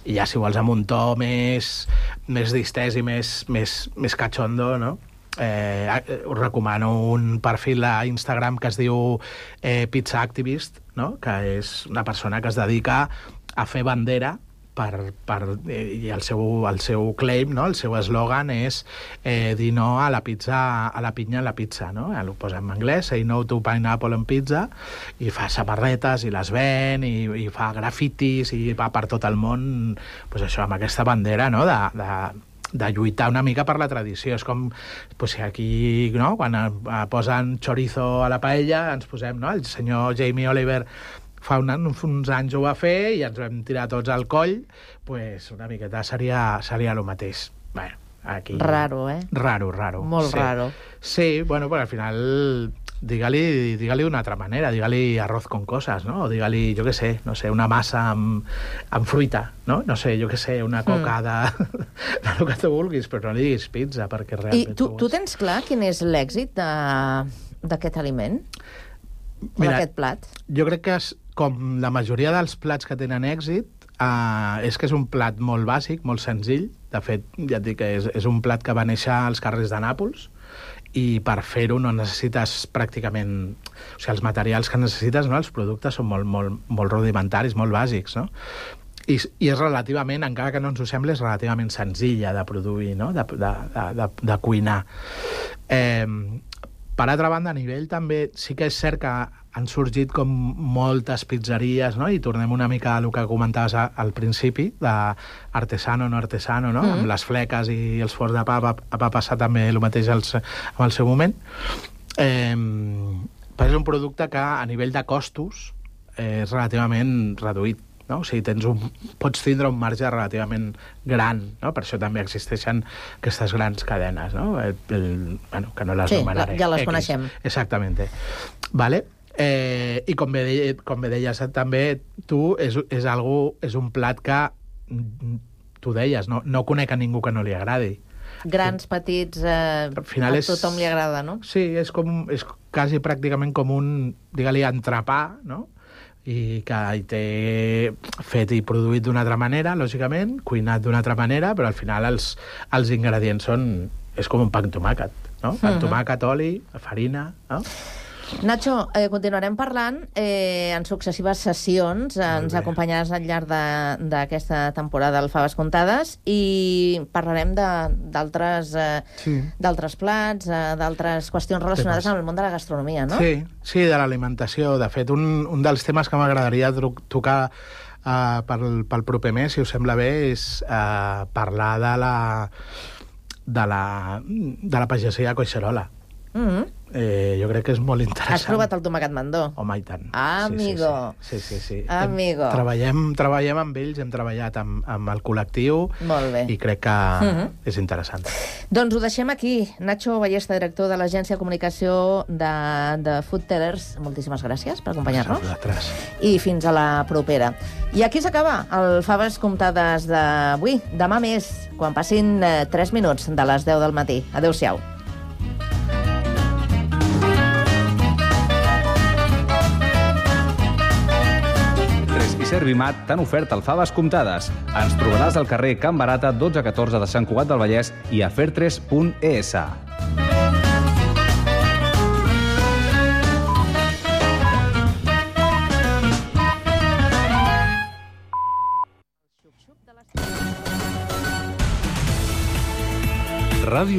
I ja si vols amb un to més, més distès i més, més, més cachondo, no? Eh, us recomano un perfil a Instagram que es diu eh, Pizza Activist, no? Que és una persona que es dedica a fer bandera per, per, eh, i el seu, el seu claim, no? El seu eslògan és eh, dir no a la pizza, a la pinya en la pizza, no? Eh, ho posa en anglès, say no to pineapple en pizza, i fa samarretes i les ven, i, i fa grafitis i va per tot el món, pues això, amb aquesta bandera, no? de, de de lluitar una mica per la tradició. És com pues, aquí, no? Quan eh, posen chorizo a la paella, ens posem, no? El senyor Jamie Oliver fa un, uns anys ho va fer i ens vam tirar tots al coll, pues una miqueta seria, seria el mateix. Bueno, aquí... Raro, eh? Raro, raro. Molt sí. raro. Sí, bueno, però al final... Digue-li digue d'una altra manera, digue-li arroz con coses, no? O digue-li, jo què sé, no sé, una massa amb, amb fruita, no? No sé, jo què sé, una coca mm. de, de lo que tu vulguis, però no li diguis pizza, perquè realment... I tu, tu tens clar quin és l'èxit d'aquest aliment? O d'aquest plat? Jo crec que és, com la majoria dels plats que tenen èxit, Uh, és que és un plat molt bàsic, molt senzill. De fet, ja et dic que és, és un plat que va néixer als carrers de Nàpols, i per fer-ho no necessites pràcticament... O sigui, els materials que necessites, no? Els productes són molt, molt, molt rudimentaris, molt bàsics, no? I, i és relativament, encara que no ens ho sembli, és relativament senzilla de produir, no? De, de, de, de, de cuinar. Eh, per altra banda, a nivell també, sí que és cert que han sorgit com moltes pizzeries, no? I tornem una mica a el que comentaves al principi, d'artesano, no artesano, no? Mm. Amb les fleques i els forns de pa va, va passar també el mateix al, en el seu moment. Eh, però és un producte que a nivell de costos és relativament reduït. no? O sigui, tens un, pots tindre un marge relativament gran, no? Per això també existeixen aquestes grans cadenes, no? El, el, bueno, que no les sí, nomenaré. Ja les X. coneixem. Exactamente. Vale? Eh, I com bé, de, com bé deies també, tu, és, és, algo, és un plat que, tu deies, no, no conec a ningú que no li agradi. Grans, petits, eh, a és, tothom li agrada, no? Sí, és, com, és quasi pràcticament com un, digue-li, entrepà, no? I que hi té fet i produït d'una altra manera, lògicament, cuinat d'una altra manera, però al final els, els ingredients són... És com un pa amb tomàquet, no? Pa amb tomàquet, oli, farina, no? Nacho, eh, continuarem parlant eh, en successives sessions. Ens acompanyaràs al llarg d'aquesta temporada al Faves Comptades i parlarem d'altres eh, sí. d'altres plats, eh, d'altres qüestions relacionades temes. Amb el món de la gastronomia, no? Sí, sí, de l'alimentació. De fet, un, un dels temes que m'agradaria tocar uh, pel, pel proper mes, si us sembla bé, és uh, parlar de la, de la, de la pagesia a Collserola. Mm-hmm. Eh, jo crec que és molt interessant. Has provat el tomàquet mandó? Home, i tant. Amigo. Sí, sí, sí. sí, sí. Amigo. Treballem, treballem amb ells, hem treballat amb, amb el col·lectiu. Molt bé. I crec que mm-hmm. és interessant. Doncs ho deixem aquí. Nacho Ballesta, director de l'Agència de Comunicació de, de Food Tellers. Moltíssimes gràcies per acompanyar-nos. Vosaltres. I fins a la propera. I aquí s'acaba el Faves Comptades d'avui. Demà més, quan passin eh, tres minuts de les deu del matí. Adéu-siau. Servimat t'han ofert el Faves Comptades. Ens trobaràs al carrer Can Barata dotze catorze de Sant Cugat del Vallès i a fertres punt es. Ràdio